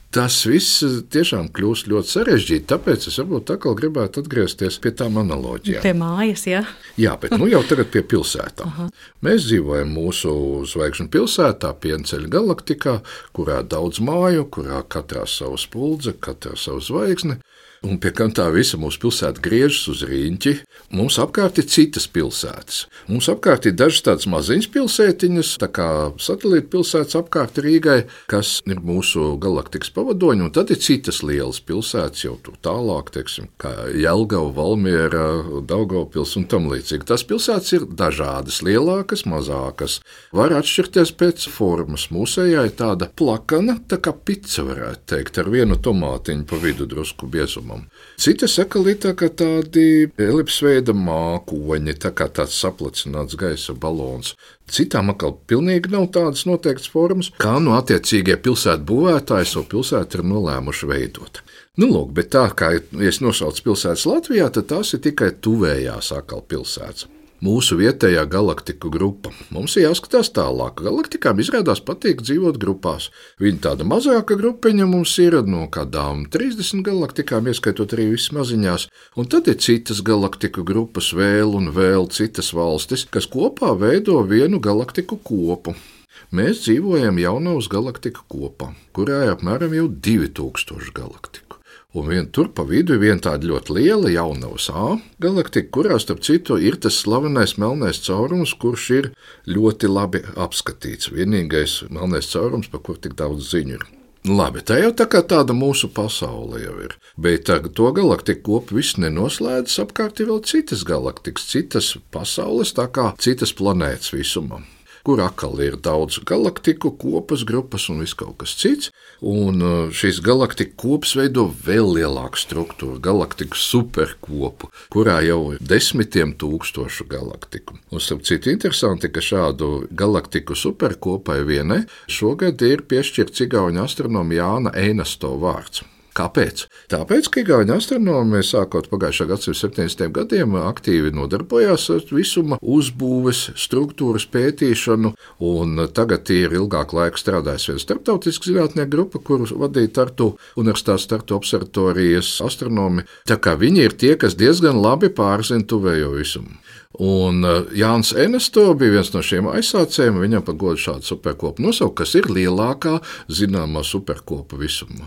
tas viss tiešām kļūst ļoti sarežģīti, tāpēc es varbūt atkal gribētu atgriezties pie tām analoģijām. Pie mājas, jā? Jā, bet nu jau tagad pie pilsētām. Aha. Mēs dzīvojam mūsu zvaigžņu pilsētā, Pienceļa galaktikā, kurā daudz māju, kurā katrā savu spuldze, katrā savu zvaigzni. Un pie kam tā visa mūsu pilsēta griežas uz riņķi, mums apkārt ir citas pilsētas. Mums apkārt ir dažas tādas maziņas pilsētiņas, tā kā satelīta pilsētas apkārt Rīgai, kas ir mūsu galaktikas pavadoņi, un tad ir citas lielas pilsētas jau tur tālāk, teiksim, kā Jelgava, Valmiera, Daugavpils un tam līdzīgi. Tās pilsētas ir dažādas, lielākas, mazākas, var atšķirties pēc formas. Mūsējā ir tāda plakana, tā kā pica varētu teikt, ar vienu tomātiņu pa vidu drusku biezumu. Citi sakali tā kā tādi elipsveida mākoņi, tā kā tāds saplacināts gaisa balons. Citām atkal pilnīgi nav tādas noteiktas formas, kā no attiecīgie pilsētu būvētāji savu pilsētu ir nolēmuši veidot. Nu, lūk, bet tā kā es nosaucu pilsētas Latvijā, tad tās ir tikai tuvējās atkal pilsētas. Mūsu vietējā galaktiku grupa. Mums ir jāskatās tālāk. Galaktikām izrādās patīk dzīvot grupās. Viņa tāda mazāka grupiņa mums ir no kādām trīsdesmit galaktikām, ieskaitot arī visas maziņās. Un tad ir citas galaktiku grupas, vēl un vēl citas valstis, kas kopā veido vienu galaktiku kopu. Mēs dzīvojam jaunavas galaktiku kopā, kurā ir apmēram jau divi tūkstoši galaktiku. Un vien tur pa vidu ir viena tāda ļoti liela jaunavas A galaktika, kurā, starp citu, ir tas slavenais melnais caurums, kurš ir ļoti labi apskatīts. Vienīgais melnais caurums, par kur tik daudz ziņu ir. Labi, tā jau tā kā tāda mūsu pasaule jau ir. Bet to galaktiku kopu viss nenoslēdzas, apkārt ir vēl citas galaktikas, citas pasaules, tā kā citas planētas visumā, kur atkal ir daudz galaktiku, kopas, grupas un viss kaut kas cits. Un šīs galaktiku kopas veido vēl lielāku struktūru, galaktiku superkopu, kurā jau ir desmitiem tūkstošu galaktiku. Un starp citu interesanti, ka šādu galaktiku superkopai vienai šogad ir piešķirts igauņu astronomu Jāna Einasto vārds. Kāpēc? Tāpēc, ka igauņu astronomi sākot pagājušā gadsimta septiņdesmitiem gadiem aktīvi nodarbojās ar visuma uzbūves, struktūras pētīšanu, un tagad ir ilgāku laiku strādājis viena starptautiska zinātnieku grupa, kuru vadīja Tartu Universitātes Tartu observatorijas astronomi. Tā kā viņi ir tie, kas diezgan labi pārzina tuvējo visumu. Un Jānis Einasto bija viens no šiem aizsācējiem, viņam pa godu šādu superkopu nosaukt, kas ir lielākā zināmā superkopa visumā.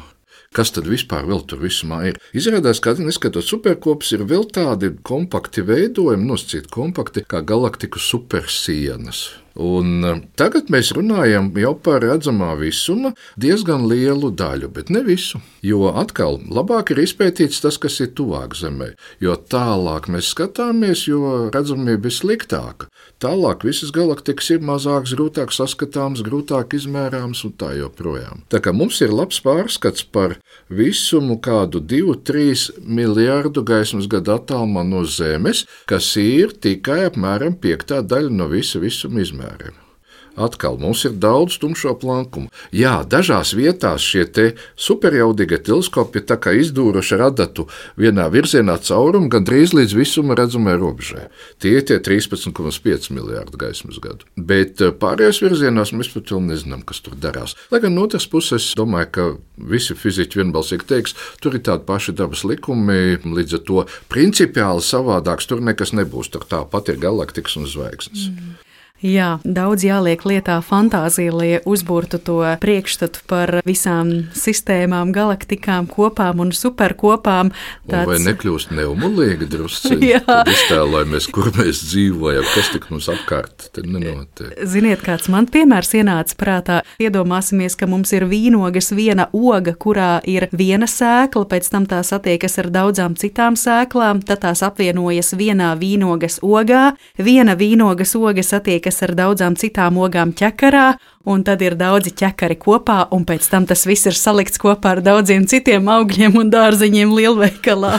Kas tad vispār vēl tur visumā ir? Izrādās, ka neskatot superkopas, ir vēl tādi kompakti veidojumi, nosacīti kompakti, kā galaktiku supersienas. Un tagad mēs runājam jau par redzamā visuma diezgan lielu daļu, bet ne visu. Jo atkal labāk ir izpētīts tas, kas ir tuvāk Zemē. Jo tālāk mēs skatāmies, jo redzamība ir sliktāka. Tālāk visas galaktikas ir mazākas, grūtāk saskatāmas, grūtāk izmērāmas un tā joprojām. Tā kā mums ir labs pārskats par visumu kādu divu līdz trīs miljārdu gaismas gadu attālumā no Zemes, kas ir tikai apmēram piektā daļa no visa visuma izmērījuma. Atkal mums ir daudz tumšo plankumu. Jā, dažās vietās šie te superjaudīgie teleskopi ir tā kā izdūruši ar adatu vienā virzienā caurumu gandrīz līdz visuma redzamai robežai. Tie ir tie trīspadsmit komats pieci miljārdi gaismas gadu. Bet pārējās virzienās mēs pat vēl nezinām, kas tur darās. Lai gan no otras puses, domāju, ka visi fiziķi vienbalsīgi teiks, tur ir tādi paši dabas likumi, līdz ar to principiāli savādāks tur nekas nebūs. Tur tāpat ir galaktikas un zvaigznes. Mm. Jā, daudz jāliek lietā fantāzija, lai uzbūrtu to priekšstatu par visām sistēmām, galaktikām, kopām un superkopām. Tāds... Vai nekļūst neumulīgi drusciņi? Tad iztēlojamies, kur mēs dzīvojam, kas tik mums apkārt te nenotiek. Ziniet, kāds man piemērs ienāca prātā. Iedomāsimies, ka mums ir vīnogas viena oga, kurā ir viena sēkla, pēc tam tā satiekas ar daudzām citām sēklām, tad tās apvienojas vienā vīnogas ogā, viena vīnogas oga satiekas ar daudzām citām ogām ķekarā, un tad ir daudzi ķekari kopā, un pēc tam tas viss ir salikts kopā ar daudziem citiem augļiem un dārzeņiem lielveikalā.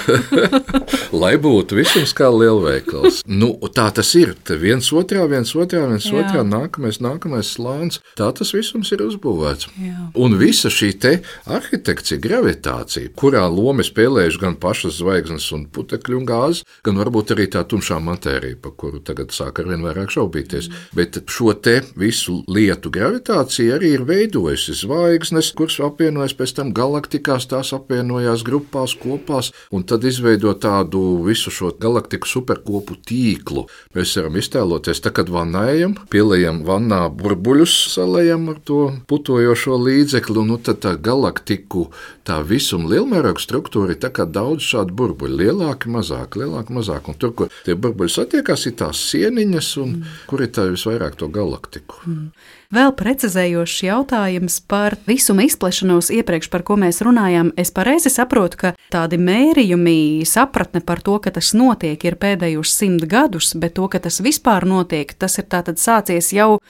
Lai būtu visums kā lielveikals. Nu, tā tas ir. Te viens otrā, viens otrā, viens Jā. otrā, nākamais, nākamais slāns. Tā tas visums ir uzbūvēts. Jā. Un visa šī te arhitekcija, gravitācija, kurā lomi spēlējuši gan pašas zvaigznes un putekļu un gāzes, gan varbūt arī tā tumšā matērija, pa kuru tagad sāk arvien vairāk šaubīties. Mm. Bet šo te visu lietu gravitāciju Gravitācija arī ir veidojusi zvaigznes, kuras apvienojas pēc tam galaktikās, tās apvienojās grupās, kopās, un tad izveido tādu visu šo galaktiku superkopu tīklu. Mēs varam iztēloties, tā, kad vannējam, pielējam vannā burbuļus, salējam ar to putojošo līdzekli, un nu, tad tā galaktiku, tā visuma lielmēroga struktūra ir tā kā daudz šādu burbuļu, lielāki, mazāki, lielāki, mazāki, un tur, kur tie burbuļi satiekās, ir tās sieniņas, un mm. kur ir tā visvairāk to galaktiku. Mm. Vēl precizējošs jautājums par visuma izplešanos iepriekš, par ko mēs runājām. Es pareizi saprotu, ka tādi mērījumi, sapratne par to, ka tas notiek, ir pēdējos simt gadus, bet to, ka tas vispār notiek, tas ir tātad sācies jau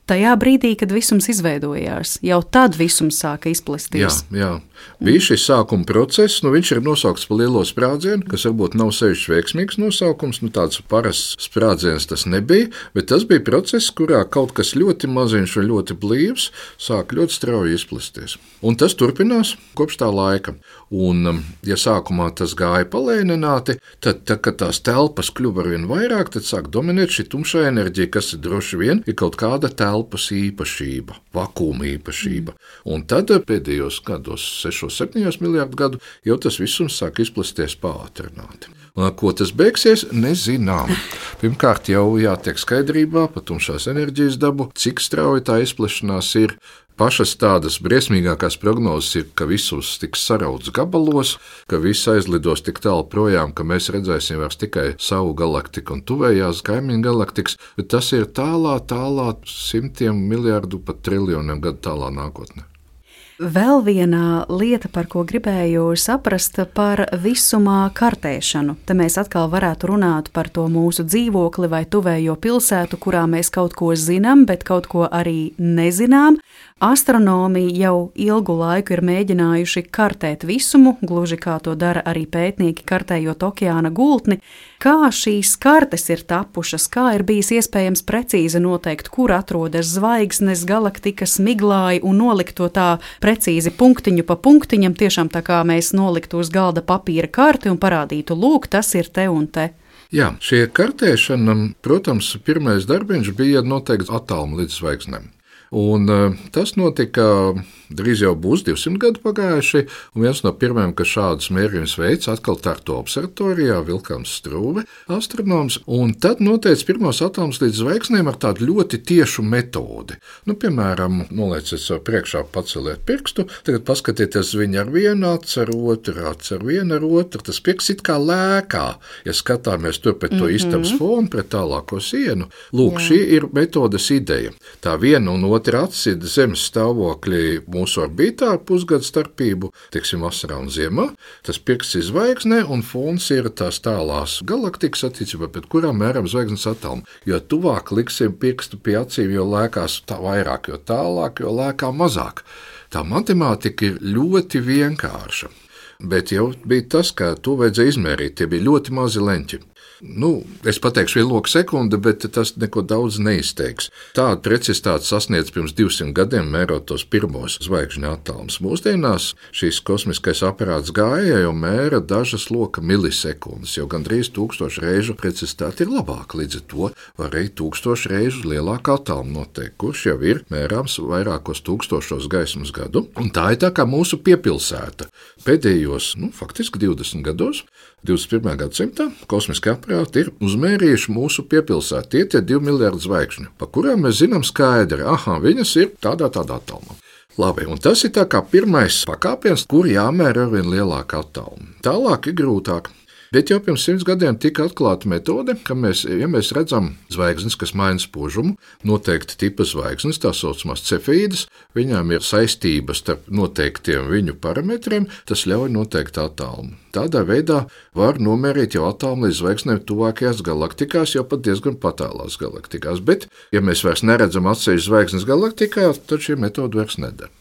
tajā brīdī, kad visums izveidojās. Jau tad visums sāka izplesties. Jā, jā. Bija šis sākuma process, nu viņš ir nosaukts par lielo sprādzienu, kas varbūt nav sevišķi veiksmīgs nosaukums, nu tāds parasts sprādziens tas nebija, bet tas bija process, kurā kaut kas ļoti maziņš un ļoti blīvs sāk ļoti strauji izplesties. Un tas turpinās kopš tā laika. Un, ja sākumā tas gāja palēnināti, tad, tā, kad tās telpas kļuva arvien vairāk, tad sāk dominēt šī tumšā enerģija, kas ir droši vien ir kaut kāda telpas īpašība, vakuma īpašība. Un tad pēdējos gados, sešos, septiņos miljārdu gadu, jau tas visums sāk izplesties pātrināti. Un, ko tas beigsies, nezinām. Pirmkārt, jau jātiek skaidrībā par tumšās enerģijas dabu, cik strauji tā izplešanās ir. Pašas tādas briesmīgākās prognozes ir, ka visums tiks sarauts gabalos, ka viss aizlidos tik tālu projām, ka mēs redzēsim vairs tikai savu galaktiku un tuvējās kaimiņu galaktikas, bet tas ir tālā, tālā simtiem miljārdu pat triljoniem gadu tālā nākotnē. Vēl viena lieta, par ko gribēju saprast, par visumā kartēšanu. Te mēs atkal varētu runāt par to mūsu dzīvokli vai tuvējo pilsētu, kurā mēs kaut ko zinām, bet kaut ko arī nezinām. Astronomi jau ilgu laiku ir mēģinājuši kartēt visumu, gluži kā to dara arī pētnieki kartējot okeāna gultni. Kā šīs kartes ir tapušas, kā ir bijis iespējams precīzi noteikt, kur atrodas zvaigznes, galaktikas, miglāji un nolikt to tā precīzi punktiņu pa punktiņam, tiešām tā kā mēs noliktu uz galda papīra karti un parādītu, lūk, tas ir te un te. Jā, šie kartēšana, protams, pirmais darbiņš bija noteikti attālumu līdz zvaigznēm. Un tas notika Drīz jau būs divsimt gadi pagājuši, un viens no pirmajiem, kas šādus mērījumus veids, atkal Tartu observatorijā, Vilkams Strūve, astronoms, un tad noteica pirmos atomus līdz zvaigznēm ar tādu ļoti tiešu metodi. Nu, piemēram, nolieciet sev priekšā, paceliet pirkstu, tagad paskatieties viņu ar vienu acu, ar otru acu, ar vienu ar otru, tas pirksts it kā lēkā, ja skatāmies tur pret to mm-hmm. istabas fonu, pret tālāko sienu. Lūk, Jā. Šī ir metodes ideja. Tā viena un otra acis ir Zemes stāvokļi mūsu orbītā ar pusgadu starpību, teiksim, vasarā un ziemā. Tas pirksts ir zvaigznē, un fons ir tās tālās galaktikas attiecībā, pret kurām mēram zvaigznes atomu. Jo tuvāk liksim pirkstu pie acīm, jo lēkās tā vairāk, jo tālāk, jo lēkā mazāk. Tā matemātika ir ļoti vienkārša. Bet jau bija tas, ka to vajadzēja izmērīt, tie bija ļoti mazi leņķi. Nu, es pateikšu vienloku sekundi, bet tas neko daudz neizteiks. Tāda precizitāte sasniedz pirms divsimt gadiem, mērot tos pirmos zvaigžņu attālumus. Mūsdienās šīs kosmiskais aparāts gāja jau mēra dažas loka milisekundes, jo gandrīz tūkstošu reižu precizitāte ir labāka, līdz ar to var arī tūkstošu reižu lielāku attālumu noteikt, kurš jau ir mērāms vairākos tūkstošos gaismas gadu. Un tā ir tā kā mūsu piepilsēta. Pēdējos, nu, faktiski divdesmit gados, divdesmit pirmajā gadsimtā kosmiskie aparāti ir uzmērījuši mūsu piepilsētu. Tie ir divi miljardi zvaigžņu, pa kurām mēs zinām skaidri, aha, viņas ir tādā tādā attālumā. Labi, un tas ir tā kā pirmais pakāpiens, kur jāmēra ar vien lielāku attālumu. Tālāk ir grūtāk. Bet jau pirms simts gadiem tika atklāta metode, ka mēs, ja mēs redzam zvaigznes, kas maina spožumu, noteikti tipa zvaigznes, tā saucamās cefīdas, viņām ir saistības starp noteiktiem viņu parametriem, tas ļauj noteikt attālumu. Tādā veidā var nomērīt jau attālumu līdz zvaigznēm tuvākajās galaktikās, jau pat diezgan patālās galaktikās. Bet, ja mēs vairs neredzam atsevišķas zvaigznes galaktikā, tad šī metode vairs neder.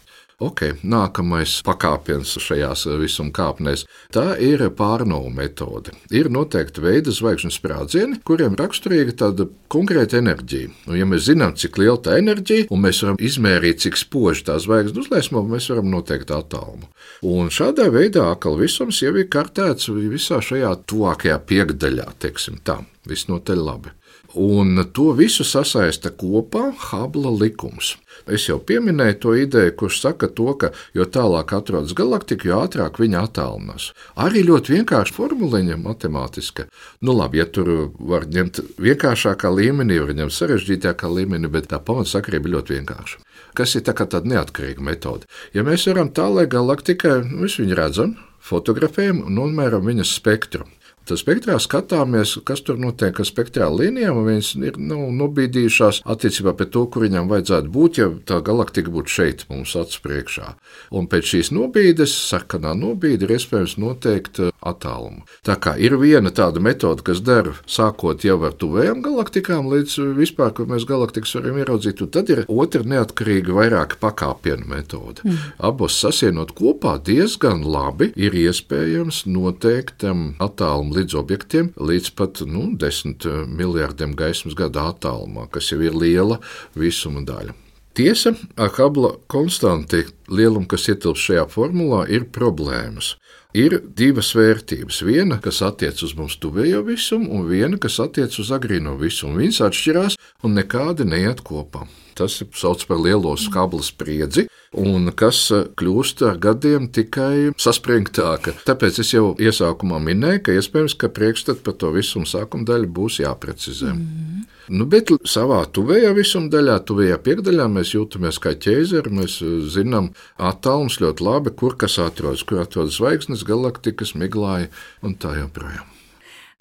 Ok, nākamais pakāpiens šajās visuma kāpnēs – tā ir pārnovu metode. Ir noteikti veidi zvaigžņu sprādzieni, kuriem raksturīga tāda konkrēta enerģija. Un, ja mēs zinām, cik liela tā enerģija, un mēs varam izmērīt, cik spoži tā zvaigzne uzliesmo, mēs varam noteikt attālumu. Un šādā veidā atkal visums jau ir kartēts visā šajā tuvākajā piekdaļā, teiksim tā, visnotaļ labi. Un to visu sasaista kopā Hubble likums. Es jau pieminēju to ideju, kurš saka to, ka jo tālāk atrodas galaktika, jo ātrāk viņa attālinās. Arī ļoti vienkārša formuliņa matemātiska. Nu labi, ja tur var ņemt vienkāršākā līmenī, var ņemt sarežģītākā līmenī, bet tā pamatsakarība ļoti vienkārša. Kas ir tā kā tāda neatkarīga metode. Ja mēs varam tālāk galaktikai, mēs viņu redzam, fotografējam un nomēram viņas spektru. Tad spektrā skatāmies, kas tur notiek ar spektrālu līnijām, un viņas ir nu, nobīdījušās attiecībā pret to, kur viņam vajadzētu būt, ja tā galaktika būtu šeit mums acu priekšā. Un pēc šīs nobīdes, sarkanā nobīde, ir iespējams noteikt attālumu. Tā kā ir viena tāda metode, kas der sākot jau ar tuvējām galaktikām, līdz vispār, kur mēs galaktikas varam ieraudzīt, un tad ir otra neatkarīga vairāka pakāpienu metode. Mm. Abos sasienot kopā diezgan labi ir iespējams noteikt attālumu līdz objektiem, līdz pat nu, desmit miljārdiem gaismas gadu attālumā, kas jau ir liela visuma daļa. Tiesa, ar Hubble konstanti lielumu, kas ietilpst šajā formulā, ir problēmas. Ir divas vērtības. Viena, kas attiec uz mums tuvējo visumu, un viena, kas attiec uz agrīno visumu. Viņas atšķirās un nekādi neiet kopā. Tas ir sauc par lielo Hubble spriedzi, un kas kļūst ar gadiem tikai saspringtāka. Tāpēc es jau iesākumā minēju, ka iespējams, ka priekšstat par to visumu sākuma daļu būs jāprecizē. Mm. Nu, bet savā tuvējā visuma daļā, tuvējā piekdaļā mēs jūtamies kā ķēzeri, mēs zinām attālums ļoti labi, kur kas atrodas, kur atrodas zvaigznes, galaktikas, miglāji un tā joprojām.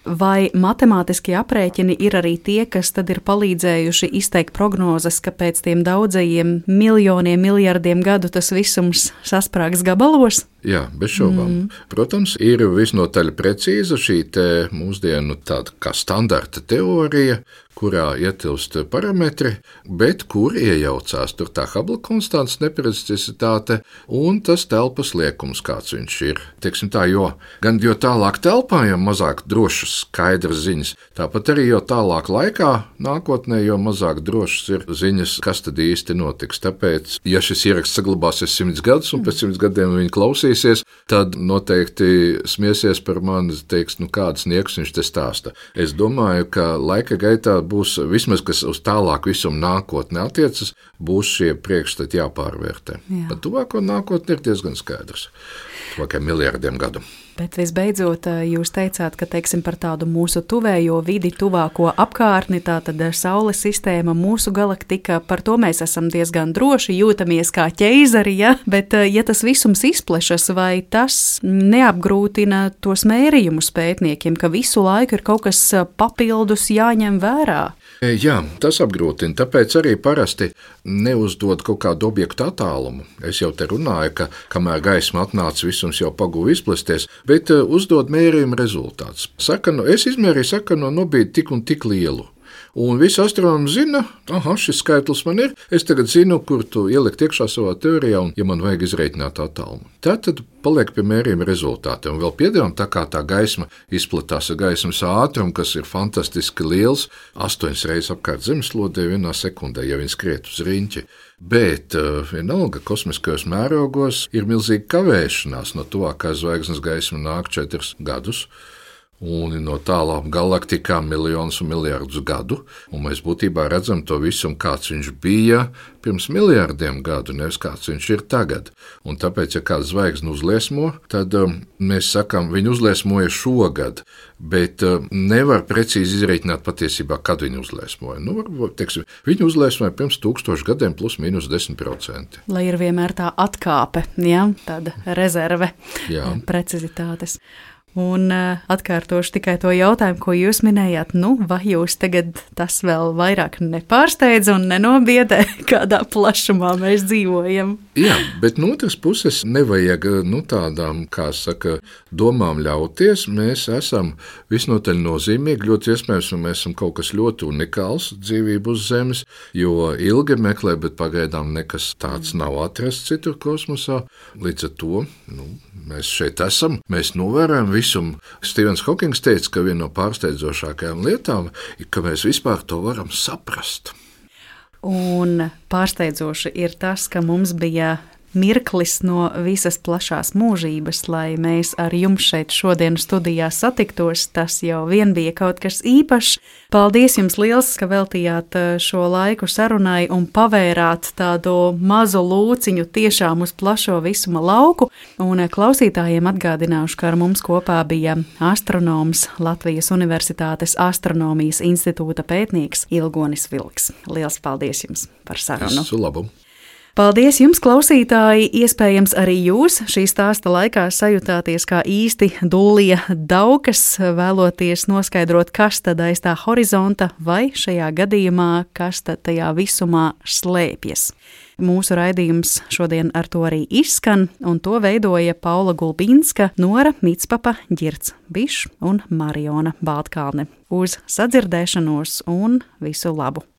Vai matemātiskie aprēķini ir arī tie, kas tad ir palīdzējuši izteikt prognozes, ka pēc tiem daudzajiem miljoniem, miljardiem gadu tas visums sasprāgs gabalos? Jā, bez šaubām. Mm. Protams, ir visnotaļ precīza šī te mūsdienu tāda kā standarta teorija, kurā ietilpst parametri, bet kur iejaucās tur tā Hubble konstants neprecicitāte un tas telpas liekums, kāds viņš ir. Teiksim tā, jo gan jo tālāk telpā, jo mazāk drošas skaidras ziņas, tāpat arī jo tālāk laikā nākotnē, jo mazāk drošas ir ziņas, kas tad īsti notiks. Tāpēc, ja šis ieraksts saglabāsies simts gadus un pēc simts gadiem viņi klausīsies, tad noteikti smiesies par mani, teiks, nu kāds nieks viņš te stāsta. Es domāju, ka laika gaitā būs vismaz, kas uz tālāk visumu nākotnē attiecas, būs šie priekšstati jāpārvērtē. Jā. Par tuvāko nākotni ir diezgan skaidrs. Tuvākajiem miljardiem gadu. Bet visbeidzot, jūs teicāt, ka teiksim, par tādu mūsu tuvējo vidi, tuvāko apkārtni, tātad Saules sistēma, mūsu galaktika, par to mēs esam diezgan droši, jūtamies kā ķeizari, ja? Bet ja tas visums izplešas, vai tas neapgrūtina tos mērījumus pētniekiem, ka visu laiku ir kaut kas papildus jāņem vērā? Jā, tas apgrūtina, tāpēc arī parasti neuzdod kaut kādu objektu attālumu. Es jau te runāju, ka kamēr gaisma atnāca, visums jau paguva izplesties, bet uzdod mērījuma rezultāts. Saka, nu, es izmērīju sakanu no nobīdi tik un tik lielu. Un visi astronomi zina, aha, šis skaitlis man ir, es tagad zinu, kur tu ielikt iekšā savā teorijā, un, ja man vajag izreikināt attālumu. Tad paliek pie mērījuma rezultāti, un vēl piedāvām, tā kā tā gaisma izplatās ar gaismas ātrumu, kas ir fantastiski liels, astoņas reizes apkārt zemeslodē vienā sekundē, ja viņi skriet uz riņķi. Bet uh, vienalga kosmiskajos mērogos ir milzīga kavēšanās, no tuvākās zvaigznes gaisma nāk četrus gadus, un no tālām galaktikām miljonus un miljardus gadu, un mēs būtībā redzam to visu, kāds viņš bija pirms miljardiem gadu, nevis kāds viņš ir tagad. Un tāpēc, ja kāds zvaigzni uzliesmo, tad um, mēs sakām, viņu uzliesmoja šogad, bet um, nevar precīzi izreikināt patiesībā, kad viņu uzliesmoja. Nu, varbūt, teiksim, viņu uzliesmoja pirms tūkstošu gadiem plus mīnus desmit procenti. Lai ir vienmēr tā atkāpe, ja? Tāda rezerve Jā. Precizitātes. Un uh, atkārtošu tikai to jautājumu, ko jūs minējāt. Nu, vai jūs tagad tas vēl vairāk nepārsteidz un nenobiedē, kādā plašumā mēs dzīvojam? Jā, bet no otras puses nevajag nu, tādām, kā saka, domām ļauties. Mēs esam visnotaļ nozīmīgi, ļoti iespējams, un mēs esam kaut kas ļoti unikāls dzīvību uz Zemes, jo ilgi meklē, bet pagaidām nekas tāds nav atrasts citur kosmosā. Līdz ar to nu, mēs šeit esam, mēs novērojam visumu. Stevens Hokings teica, ka viena no pārsteidzošākajām lietām ir, ka mēs vispār to varam saprast. Un pārsteidzoši ir tas, ka mums bija mirklis no visas plašās mūžības, lai mēs ar jums šeit šodien studijā satiktos. Tas jau vien bija kaut kas īpašs. Paldies jums liels, ka veltījāt šo laiku sarunai un pavērāt tādu mazu lūciņu tiešām uz plašo visuma lauku. Un klausītājiem atgādināšu, ka ar mums kopā bija astronoms, Latvijas Universitātes Astronomijas institūta pētnieks Ilgonis Vilks. Liels paldies jums par sarunu. Visu labu! Paldies jums, klausītāji! Iespējams, arī jūs šī stāsta laikā sajutāties kā īsti dullie daukas, vēloties noskaidrot, kas tad aiz tā horizonta vai šajā gadījumā, kas tad tajā visumā slēpjas. Mūsu raidījums šodien ar to arī izskan, un to veidoja Paula Gulbinska, Nora Mitspapa, Ģirds Bišs un Mariona Baltkalne. Uz sadzirdēšanos un visu labu!